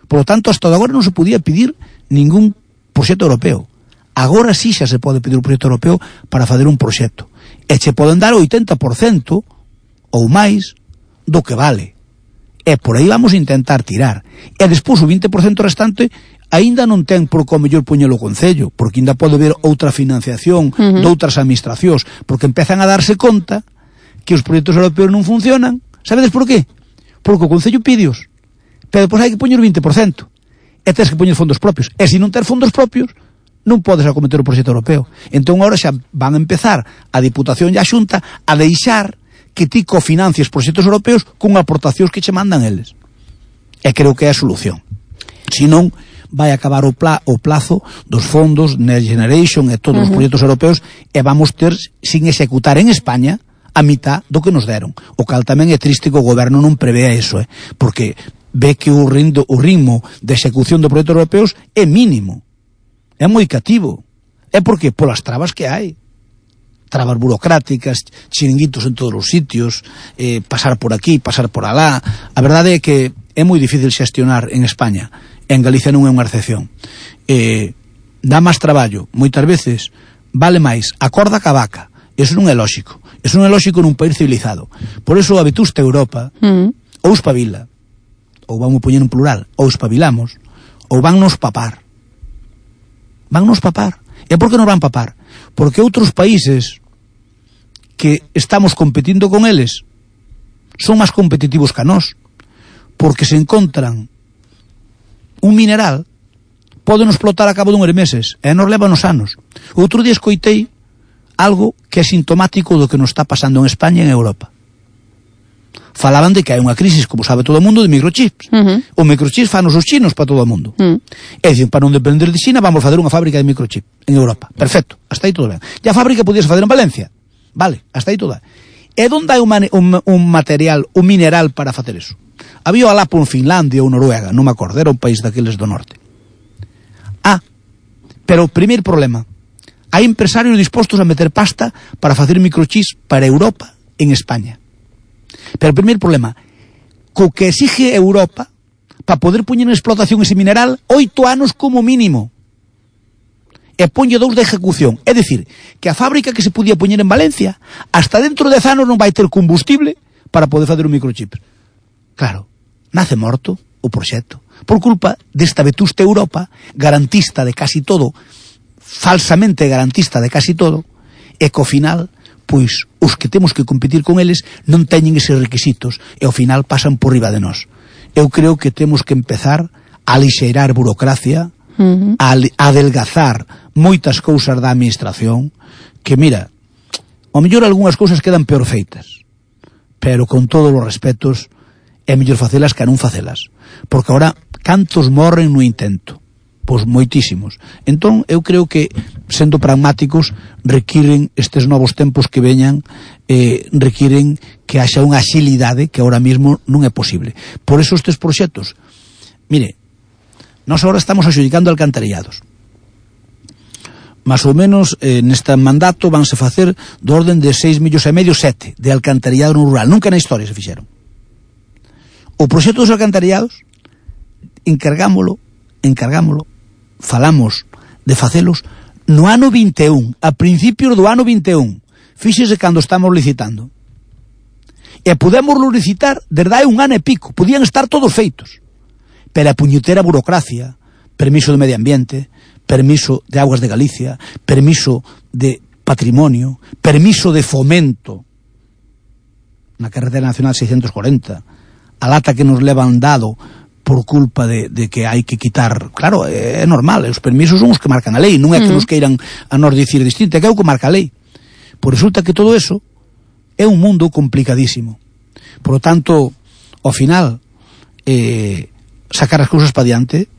Por lo tanto, hasta agora non se podía pedir ningún proxecto europeo. Agora sí xa se pode pedir un proxecto europeo para fazer un proxecto. E che poden dar o oitenta por cento ou máis do que vale. E por aí vamos a intentar tirar. E despois o vinte por cento restante aínda non ten por como mellor poñelo o Concello, porque aínda pode haber outra financiación uh-huh. de outras administracións, porque empezan a darse conta que os proxectos europeos non funcionan. Sabedes por qué? Porque o Concello pídeos, pero depois hai que poñer o vinte por cento. E tens que poñer fondos propios. E se non ter fondos propios, non podes acometer o proxecto europeo. Entón agora xa van a empezar a Diputación e a Xunta a deixar que ti cofinancies proxectos europeos con aportacións que che mandan eles. E creo que é a solución. Se non, vai acabar o, pla, o plazo dos fondos Next Generation e todos uh-huh. os proxectos europeos, e vamos ter sin executar en España a mitad do que nos deron. O cal tamén é triste que o goberno non prevea eso, eh? Porque ve que o, rindo, o ritmo de execución dos proxectos europeos é mínimo. É moi cativo. É porque polas trabas que hai. Trabas burocráticas, chiringuitos en todos os sitios, eh, pasar por aquí, pasar por alá. A verdade é que é moi difícil xestionar en España. En Galicia non é unha excepción. Eh, dá máis traballo. Moitas veces vale máis a corda que a vaca. Eso non é lóxico. Eso non é lóxico nun país civilizado. Por eso a vetusta Europa mm. ou espabila, ou vamos poñer en plural, ou espabilamos, ou van nos papar. Van nos papar. E por que nos van papar? Porque outros países que estamos competindo con eles son máis competitivos que a nós, porque se encontran un mineral, poden explotar a cabo dunhos meses, e nos levan os anos. Outro día escoitei algo que é sintomático do que nos está pasando en España e en Europa. Falaban de que hai unha crisis, como sabe todo o mundo, de microchips. Uh-huh. O microchips fanos os chinos para todo o mundo. Uh-huh. E dicen, para non depender de China, vamos fazer unha fábrica de microchip en Europa. Perfecto, hasta aí todo ben. E a fábrica podías fazer en Valencia. Vale, hasta aí todo ben. E onde hai un, un, un material, un mineral para facer eso? Había o Alapo en Finlandia ou Noruega, non me acordo, era un país daqueles do norte. Ah, pero o primeiro problema, hai empresarios dispostos a meter pasta para facer microchips para Europa en España. Pero o primeiro problema, co que exige Europa para poder poñer en explotación ese mineral oito anos como mínimo, e ponlle dous de ejecución. É dicir, que a fábrica que se podía poñer en Valencia hasta dentro de dez anos non vai ter combustible para poder fazer un microchip. Claro, nace morto o proxecto por culpa desta vetusta Europa, garantista de casi todo, falsamente garantista de casi todo, e co final pois os que temos que competir con eles non teñen eses requisitos e ao final pasan por riba de nós. Eu creo que temos que empezar a lixeirar burocracia, uh-huh. a adelgazar moitas cousas da administración, que mira, ao mellor algunhas cousas quedan peor feitas, pero con todos os respetos é mellor facelas que non facelas, porque agora cantos morren no intento? Pois moitísimos. Entón, eu creo que, sendo pragmáticos, requiren estes novos tempos que veñan, eh, requiren que haxa unha axilidade que ahora mismo non é posible. Por eso estes proxectos, mire, nós agora estamos axudicando alcantarillados. Más ou menos, eh, neste mandato vanse facer do orden de seis millóns e medio, sete, de alcantarillado no rural. Nunca na historia se fixeron. O proxecto dos alcantarillados, encargámolo, encargámolo, falamos de facelos no ano vinte e un, a principios do ano vinte e un. Fíxese cando estamos licitando. E podemos licitar desde hai un ano e pico, podían estar todos feitos. Pero a puñetera burocracia, permiso de medio ambiente, permiso de aguas de Galicia, permiso de patrimonio, permiso de fomento na carretera nacional seiscientos cuarenta, a lata que nos levan dado por culpa de, de que hai que quitar, claro, é normal, os permisos son os que marcan a lei, non é que nos queiran a nos dicir distinto, é que é o que marca a lei. Por resulta que todo eso é un mundo complicadísimo. Por lo tanto, ao final, eh, sacar as cousas para diante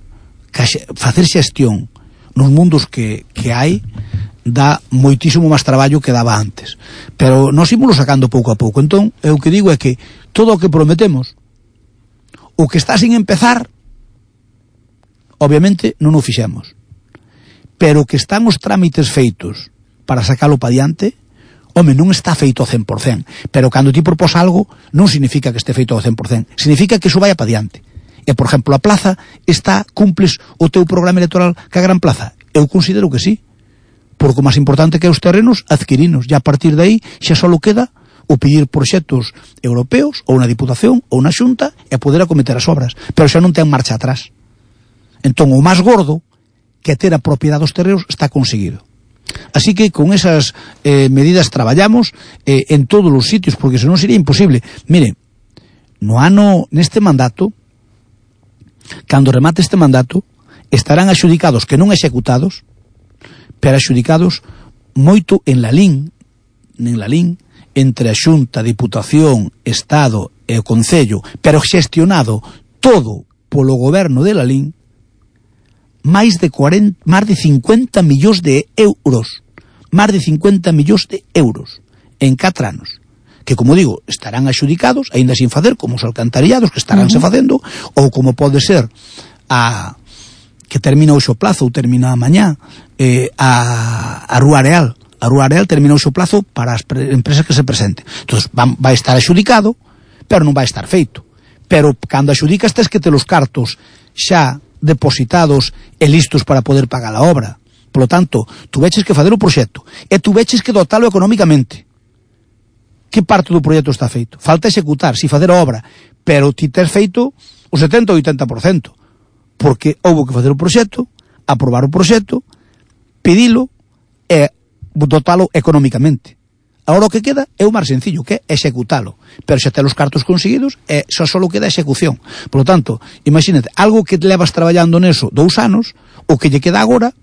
facer xestión nos mundos que, que hai dá moitísimo máis traballo que daba antes, pero nós ímolo sacando pouco a pouco. Entón, eu que digo é que todo o que prometemos, o que está sin empezar, obviamente non o fixemos, pero que están os trámites feitos para sacalo pa diante, home, non está feito ao cen por cen, pero cando ti propós algo non significa que este feito ao cen por cen, significa que iso vai pa diante. E, por exemplo, a plaza está, cumples o teu programa electoral ca Gran Plaza? Eu considero que sí, porque o máis importante que é os terrenos, adquirinos, e a partir de aí xa só queda o pedir proxectos europeos, ou unha diputación, ou unha xunta, e poder acometer as obras, pero xa non ten marcha atrás. Entón, o máis gordo, que ter a propiedade dos terrenos, está conseguido. Así que con esas eh, medidas traballamos eh, en todos os sitios, porque senón sería imposible. Mire, no ano, neste mandato, cando remate este mandato, estarán axudicados, que non executados, pero axudicados moito en la LIN, en la LIN, entre a Xunta, Diputación, Estado e o Concello, pero xestionado todo polo goberno de la LIN, máis de cuarenta, máis de cincuenta millóns de euros, máis de cincuenta millóns de euros en catro anos, que, como digo, estarán axudicados, aínda sin facer, como os alcantariados que estaránse uh -huh. facendo, ou como pode ser a que termina hoxe o plazo, ou termina mañá, eh, a, a Rúa Areal. A Rúa Areal termina hoxe o plazo para as empresas que se presenten. Entón, vai estar axudicado, pero non vai estar feito. Pero, cando axudicas, tes que ter os cartos xa depositados e listos para poder pagar a obra. Por lo tanto, tú veches que facer o proxecto e tú veches que dotalo económicamente. Que parte do proxecto está feito? Falta executar, si facer a obra, pero ti tes feito o setenta ou oitenta por cento, porque houve que facer o proxecto, aprobar o proxecto, pedilo e dotalo económicamente. Agora o que queda é o máis sencillo, que é executalo, pero xa ten os cartos conseguidos e xa só queda a execución. Por lo tanto, imagínate, algo que levas traballando neso dous anos, o que lle queda agora,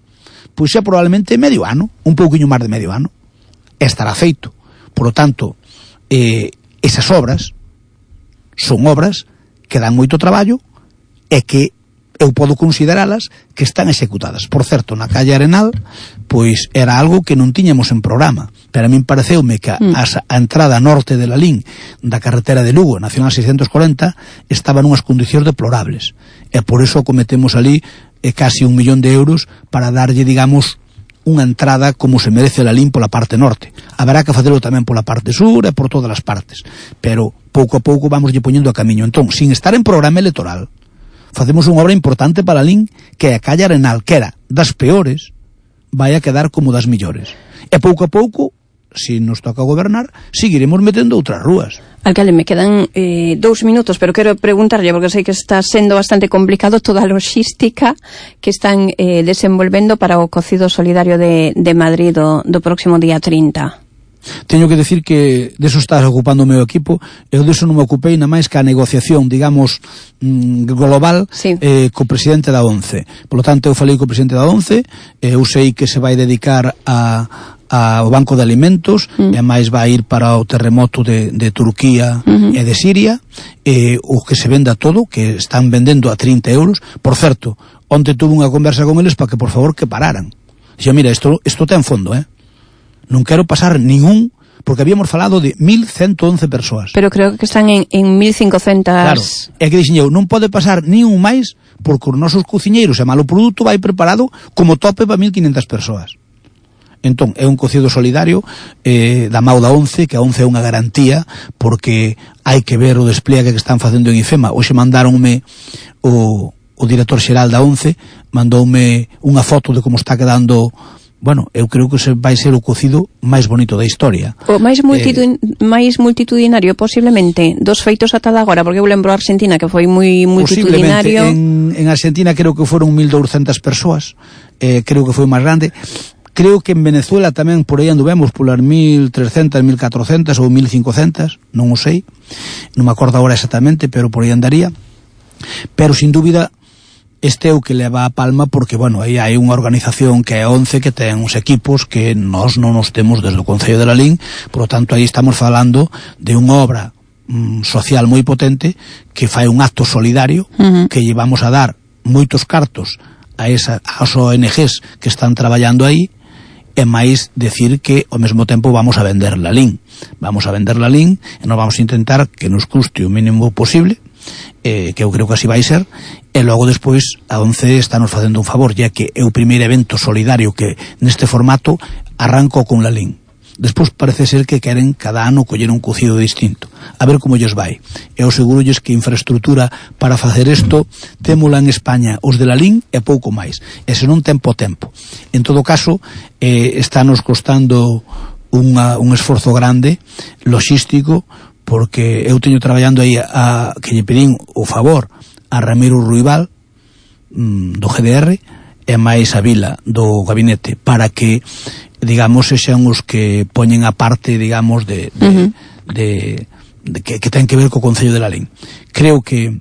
pois xa probablemente medio ano, un pouquiño máis de medio ano, estará feito. Por lo tanto, eh, esas obras son obras que dan moito traballo e que eu podo consideralas que están executadas. Por certo, na calle Arenal, pois era algo que non tiñamos en programa, pero a min pareceume que a, mm. a entrada norte de la Lín da carretera de Lugo, Nacional seiscentos cuarenta, estaba nunhas condicións deplorables, e por iso cometemos ali eh, casi un millón de euros para darlle, digamos, unha entrada como se merece la Lín pola parte norte. Haberá que facelo tamén pola parte sur e por todas as partes, pero pouco a pouco vamos lle poñendo a camiño. Entón, sin estar en programa electoral, facemos unha obra importante para a Lín, que a calle Arenal, que era das peores, vai a quedar como das millores. E pouco a pouco, se nos toca gobernar, seguiremos metendo outras rúas. Alcalde, me quedan eh, dous minutos, pero quero preguntarlle, porque sei que está sendo bastante complicado toda a logística que están eh, desenvolvendo para o cocido solidario de, de Madrid do, do próximo día trinta. Teño que decir que deso está ocupando o meu equipo, eu deso non me ocupei na máis que a negociación, digamos, global, sí. eh, co presidente da ONCE. Por lo tanto, eu falei co presidente da ONCE, eu sei que se vai dedicar a, a o Banco de Alimentos, mm. e máis vai ir para o terremoto de, de Turquía mm-hmm. e de Siria, eh, o que se venda todo, que están vendendo a trinta euros. Por certo, onte tuve unha conversa con eles para que, por favor, que pararan. Dixo, mira, isto, isto ten fondo, eh? Non quero pasar ningún, porque habíamos falado de mil ciento once persoas. Pero creo que están en, en mil cincocentos... Claro, é que dixen eu, non pode pasar nin un máis, porque os nosos cociñeiros e malo produto vai preparado como tope para mil quinhentas persoas. Entón, é un cocido solidario eh, da Mau da ONCE, que a ONCE é unha garantía, porque hai que ver o despliegue que están facendo en IFEMA. Hoxe mandaronme o, o director xeral da ONCE, mandoume unha foto de como está quedando. Bueno, eu creo que se vai ser o cocido máis bonito da historia. O máis, multitud, eh, máis multitudinario posiblemente dos feitos ata agora, porque eu lembro a Argentina que foi moi multitudinario. En, en Argentina creo que foron mil douscentas persoas, eh, creo que foi máis grande. Creo que en Venezuela tamén por aí anduvemos polas mil trescentas, mil catrocentas ou mil cincocentas, non o sei, non me acordo agora exactamente, pero por aí andaría. Pero sin dúbida este é o que leva a palma, porque, bueno, aí hai unha organización que é ONCE, que ten uns equipos que nós non nos temos desde o Concello de la Lín, por lo tanto, aí estamos falando de unha obra mm, social moi potente, que fai un acto solidario, uh-huh. que llevamos a dar moitos cartos a esa, as O N Ges que están traballando aí, e máis decir que ao mesmo tempo vamos a vender Lalín. Vamos a vender Lalín e nos vamos a intentar que nos custe o mínimo posible, eh, que eu creo que así vai ser, e logo despois a ONCE está nos facendo un favor, ya que é o primeiro evento solidario que neste formato arranco con Lalín. Despois parece ser que queren cada ano coller un cocido distinto, a ver como lles vai. Eu segurolles que infraestructura para facer isto témola en España os de Lalín e pouco máis, e se non tempo tempo. En todo caso, eh, está nos costando unha, un esforzo grande logístico, porque eu teño traballando aí a, que lle pedín o favor a Ramiro Ruibal mm, do G D R e máis a Vila do gabinete, para que digamos, sexan os que poñen a parte, digamos, de, de, uh-huh. de, de que, que ten que ver co Concello de Lalín. Creo que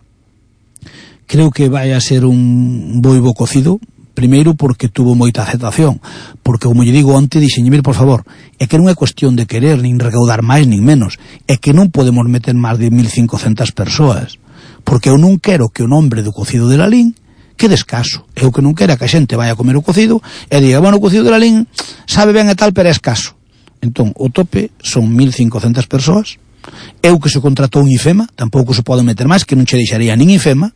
creo que vai a ser un boibo cocido, primeiro porque tuvo moita aceptación, porque, como lle digo onte, dixenlle, mir, por favor, é que non é cuestión de querer, nin recaudar máis, nin menos, é que non podemos meter máis de mil cincocentas persoas, porque eu non quero que o nombre do cocido de Lalín que descaso. Eu que non quera que a xente vai a comer o cocido e diga, bueno, o cocido de Lalín sabe ben e tal, pero é escaso. Entón, o tope son mil cincocentas persoas. Eu que se contratou un IFEMA, tampouco se pode meter máis, que non che deixaría nin IFEMA.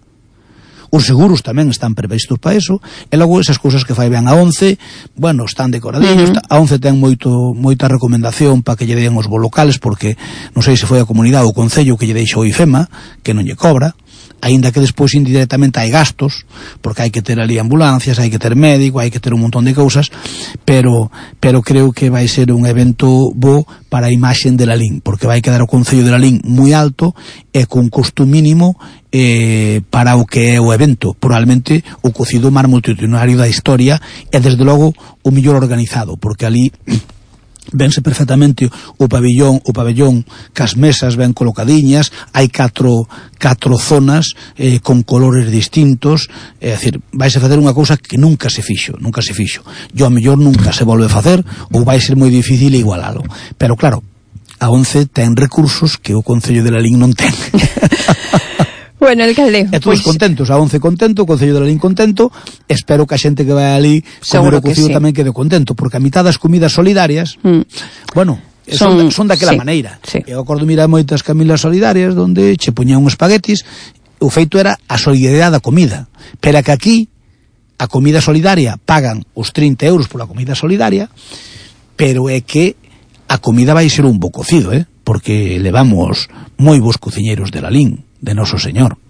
Os seguros tamén están previstos para eso, e logo esas cousas que fai ben a ONCE, bueno, están decoradillos. Uh-huh. A ONCE ten moito moita recomendación para que lle den os bolocales, porque non sei se foi a comunidade ou o concello que lle deixou o IFEMA, que non lle cobra, aínda que despois indirectamente hai gastos, porque hai que ter ali ambulancias, hai que ter médico, hai que ter un montón de cousas, pero pero creo que vai ser un evento bo para a imaxen de Lalín, porque vai quedar o Concello de Lalín moi alto e con costo mínimo eh, para o que é o evento, probablemente o cocido máis multitudinario da historia e desde logo o mellor organizado, porque ali vense perfectamente o pabillón, o pabellón cas mesas ben colocadiñas, hai catro, catro zonas eh, con colores distintos, é dicir, vais a facer unha cousa que nunca se fixo, nunca se fixo. Yo a mellor nunca se volve a facer, ou vai ser moi difícil igualalo. Pero claro, a ONCE ten recursos que o Concello de Lalín non ten. Bueno, alcalde, e todos pues... contentos, a ONCE contento, o Concello de Lalín contento, espero que a xente que vai ali comer o cocido sí. tamén quede contento, porque a mitad das comidas solidarias, mm. bueno, son, son, son daquela sí. maneira. Sí. Eu acordo mirar moitas camilas solidarias onde che poñían uns espaguetis, o feito era a solidariedade da comida, pero que aquí a comida solidaria pagan os trinta euros pola comida solidaria, pero é que a comida vai ser un bo cocido, eh? Porque levamos moi bons cociñeiros de Lalín, de Noso Señor.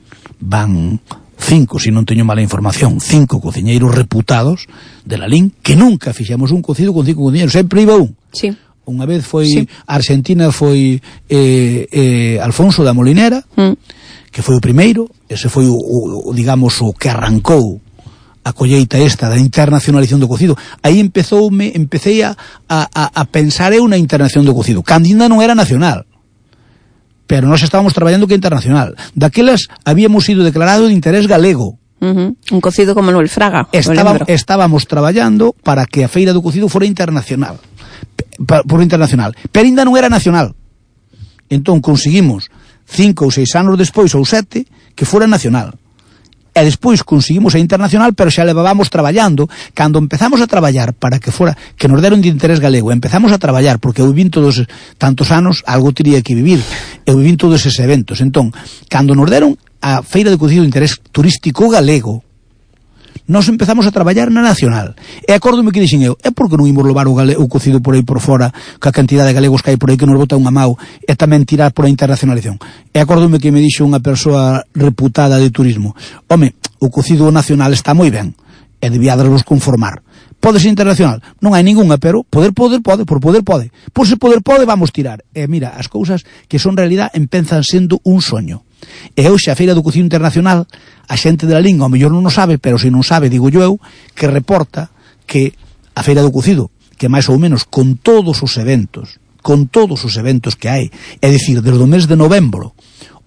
Van cinco, se non teño mala información, cinco cociñeiros reputados de Lalín, que nunca fixemos un cocido con cinco cociñeiros, sempre iba un. Sí. Unha vez foi, sí. Argentina foi eh, eh, Alfonso da Molinera, mm. que foi o primeiro, ese foi o, o, digamos, o que arrancou a colleita esta da internacionalización do cocido. Aí empezoume, empecé a, a, a pensar eu na internacionalización do cocido, cando ainda non era nacional, pero nós estábamos traballando que internacional. Daquelas habíamos sido declarado de interés galego. Uh-huh. Un cocido como Manuel Fraga. Estaba, estábamos traballando para que a feira do cocido fora internacional, por internacional, pero ainda non era nacional. Entón conseguimos cinco ou seis anos despois, ou sete, que fora nacional. E despois conseguimos a internacional, pero xa levábamos traballando. Cando empezamos a traballar para que fora, que nos deron de interés galego, empezamos a traballar, porque eu vivín todos tantos anos, algo teria que vivir, eu vivín todos eses eventos. Entón, cando nos deron a feira de cocido de interés turístico galego, nós empezamos a traballar na nacional. E acórdome que dixen eu, é porque non imos levar o, gale, o cocido por aí por fora, ca cantidad de galegos que hai por aí que nos bota unha mau, e tamén tirar por a internacionalización. E acórdome que me dixo unha persoa reputada de turismo, home, o cocido nacional está moi ben, e debiádesvos conformar. Pode ser internacional? Non hai ningunha, pero poder, poder, pode, por poder, pode. Por se poder, pode, vamos tirar. E mira, as cousas que son realidad empezan sendo un soño. E hoxe a Feira do Cocido Internacional, a xente de Lalín ao mellor non o sabe, pero se non sabe, digo eu, que reporta que a Feira do Cocido, que máis ou menos con todos os eventos, con todos os eventos que hai, é dicir, desde o mes de novembro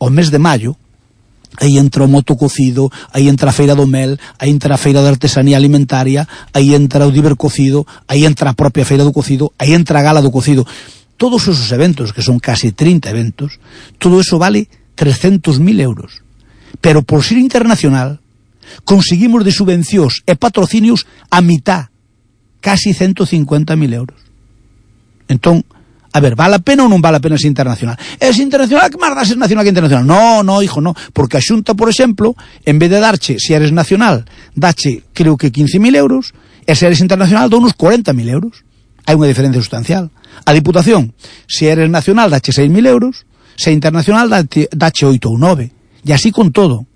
ao mes de maio, aí entra o motococido, aí entra a Feira do Mel, aí entra a Feira de Artesanía Alimentaria, aí entra o Divercocido, aí entra a propia Feira do Cocido, aí entra a Gala do Cocido. Todos esos eventos, que son casi trinta eventos, todo eso vale trescentos mil euros. Pero por ser internacional, Conseguimos de subvencións e patrocinios a mitad, casi ciento cincuenta mil euros. Entón, a ver, vale a pena ou non vale a pena ser internacional? Es internacional, que máis dá ser nacional que internacional? No, no, hijo, no, porque a Xunta, por exemplo, en vez de darche, se eres nacional, dache, creo que quince mil euros, e se eres internacional, dá unos cuarenta mil euros. Hai unha diferencia sustancial. A Diputación, se eres nacional, dache seis mil euros, se internacional, dache, dache oito ou nove. E así con todo.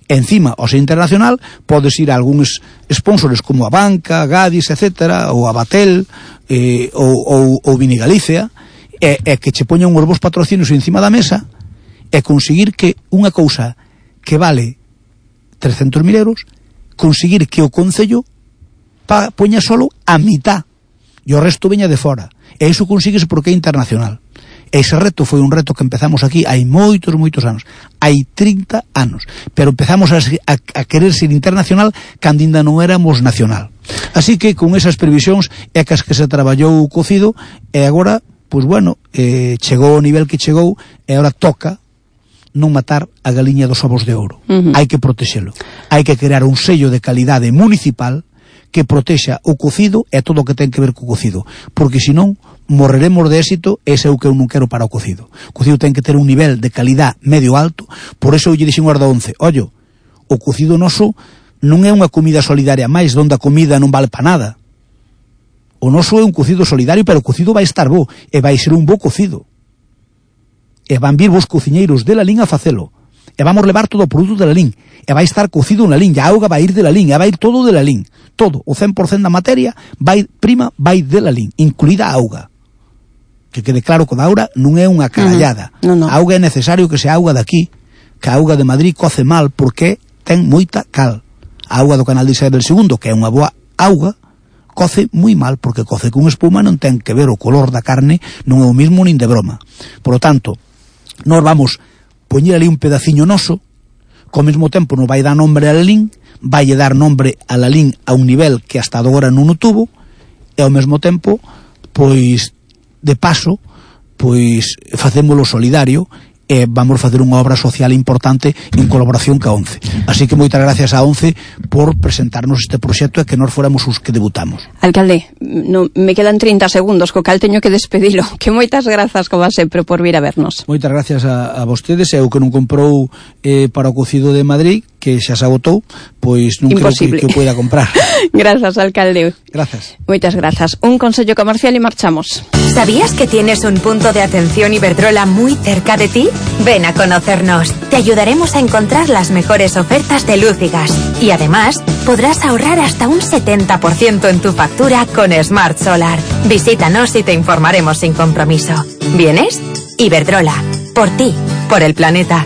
Encima, ao ser internacional, podes ir a algúns sponsors como a Banca, Gadis, etcétera, ou a Batel, eh, ou, ou, ou Vini Galicia, e, e que che poñan uns bons patrocinios encima da mesa, e conseguir que unha cousa que vale trescentos mil euros, conseguir que o Concello pa, poña solo a mitad, e o resto veña de fora. E iso consigues porque é internacional. Ese reto foi un reto que empezamos aquí hai moitos, moitos anos. Hai trinta anos. Pero empezamos a, a, a querer ser internacional cando ainda non éramos nacional. Así que con esas previsións é que as que se traballou o cocido e agora, pois bueno, eh, chegou ao nivel que chegou e agora toca non matar a galiña dos ovos de ouro. Uh-huh. Hai que protexelo. Hai que crear un sello de calidade municipal que protexa o cocido e todo o que ten que ver co cocido. Porque senón morreremos de éxito, ese é o que eu non quero para o cocido. O cocido ten que ter un nivel de calidad medio alto, por eso eu lle dixen guarda once, ollo, o cocido noso non é unha comida solidaria máis, donde a comida non vale para nada. O noso é un cocido solidario, pero o cocido vai estar bo, e vai ser un bo cocido. E van vir vos cociñeiros de Lalín a facelo, e vamos levar todo o produto de Lalín, e vai estar cocido na Lalín, e a auga vai ir de Lalín, e vai ir todo de Lalín, todo, o cen por cento da materia vai, prima vai de Lalín, incluída a auga. Que quede claro que a auga non é unha carallada. Uh-huh. No, no. A auga é necesario que sea auga de aquí, que a auga de Madrid coce mal porque ten moita cal. A auga do canal de Isabel segundo, que é unha boa auga, coce moi mal porque coce con espuma, non ten que ver o color da carne, non é o mismo nin de broma. Por lo tanto, nós vamos poñer ali un pedaciño noso, co mesmo tempo nos vai dar nombre a Lalín, vai dar nombre a Lalín a un nivel que hasta agora non o tuvo, e ao mesmo tempo, pois, de paso, pois facémolo solidario e vamos facer unha obra social importante en colaboración ca ONCE. Así que moitas gracias a ONCE por presentarnos este proxecto e que nós fóramos os que debutamos. Alcalde, no, me quedan trinta segundos, co cal teño que despedilo. Que moitas grazas, como sempre, por vir a vernos. Moitas gracias a, a vostedes, e o que non comprou eh, para o cocido de Madrid, que xa se agotou, pois non Imposible. creo que, que o poida comprar. Grazas, alcalde. Gracias. Moitas grazas. Un consello comercial e marchamos. ¿Sabías que tienes un punto de atención Iberdrola muy cerca de ti? Ven a conocernos. Te ayudaremos a encontrar las mejores ofertas de luz y gas. Y además, podrás ahorrar hasta un setenta por ciento en tu factura con Smart Solar. Visítanos y te informaremos sin compromiso. ¿Vienes? Iberdrola. Por ti. Por el planeta.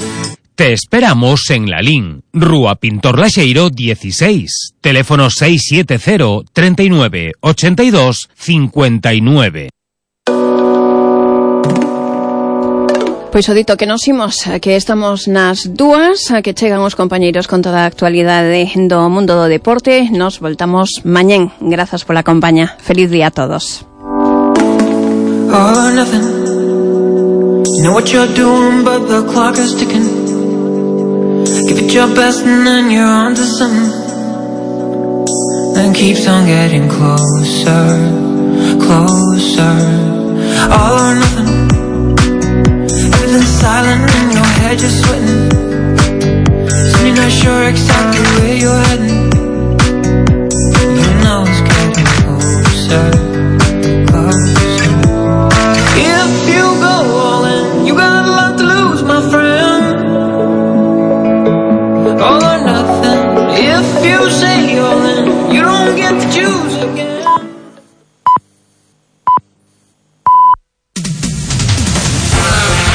Te esperamos en Lalín, Rúa Pintor Laxeiro dieciséis, teléfono seis siete cero, treinta y nueve, ochenta y dos, cincuenta y nueve. Pois o dito que nos imos, que estamos nas dúas, que chegan os compañeiros con toda a actualidade do mundo do deporte. Nos voltamos mañén. Grazas pola compañía. Feliz día a todos. All or nothing. You know what you're doing, but the clock is ticking. Give it your best and then you're on to something. Then keeps on getting closer, closer. All or nothing. Everything's silent in your head, you're sweating. So you're not sure exactly where you're heading.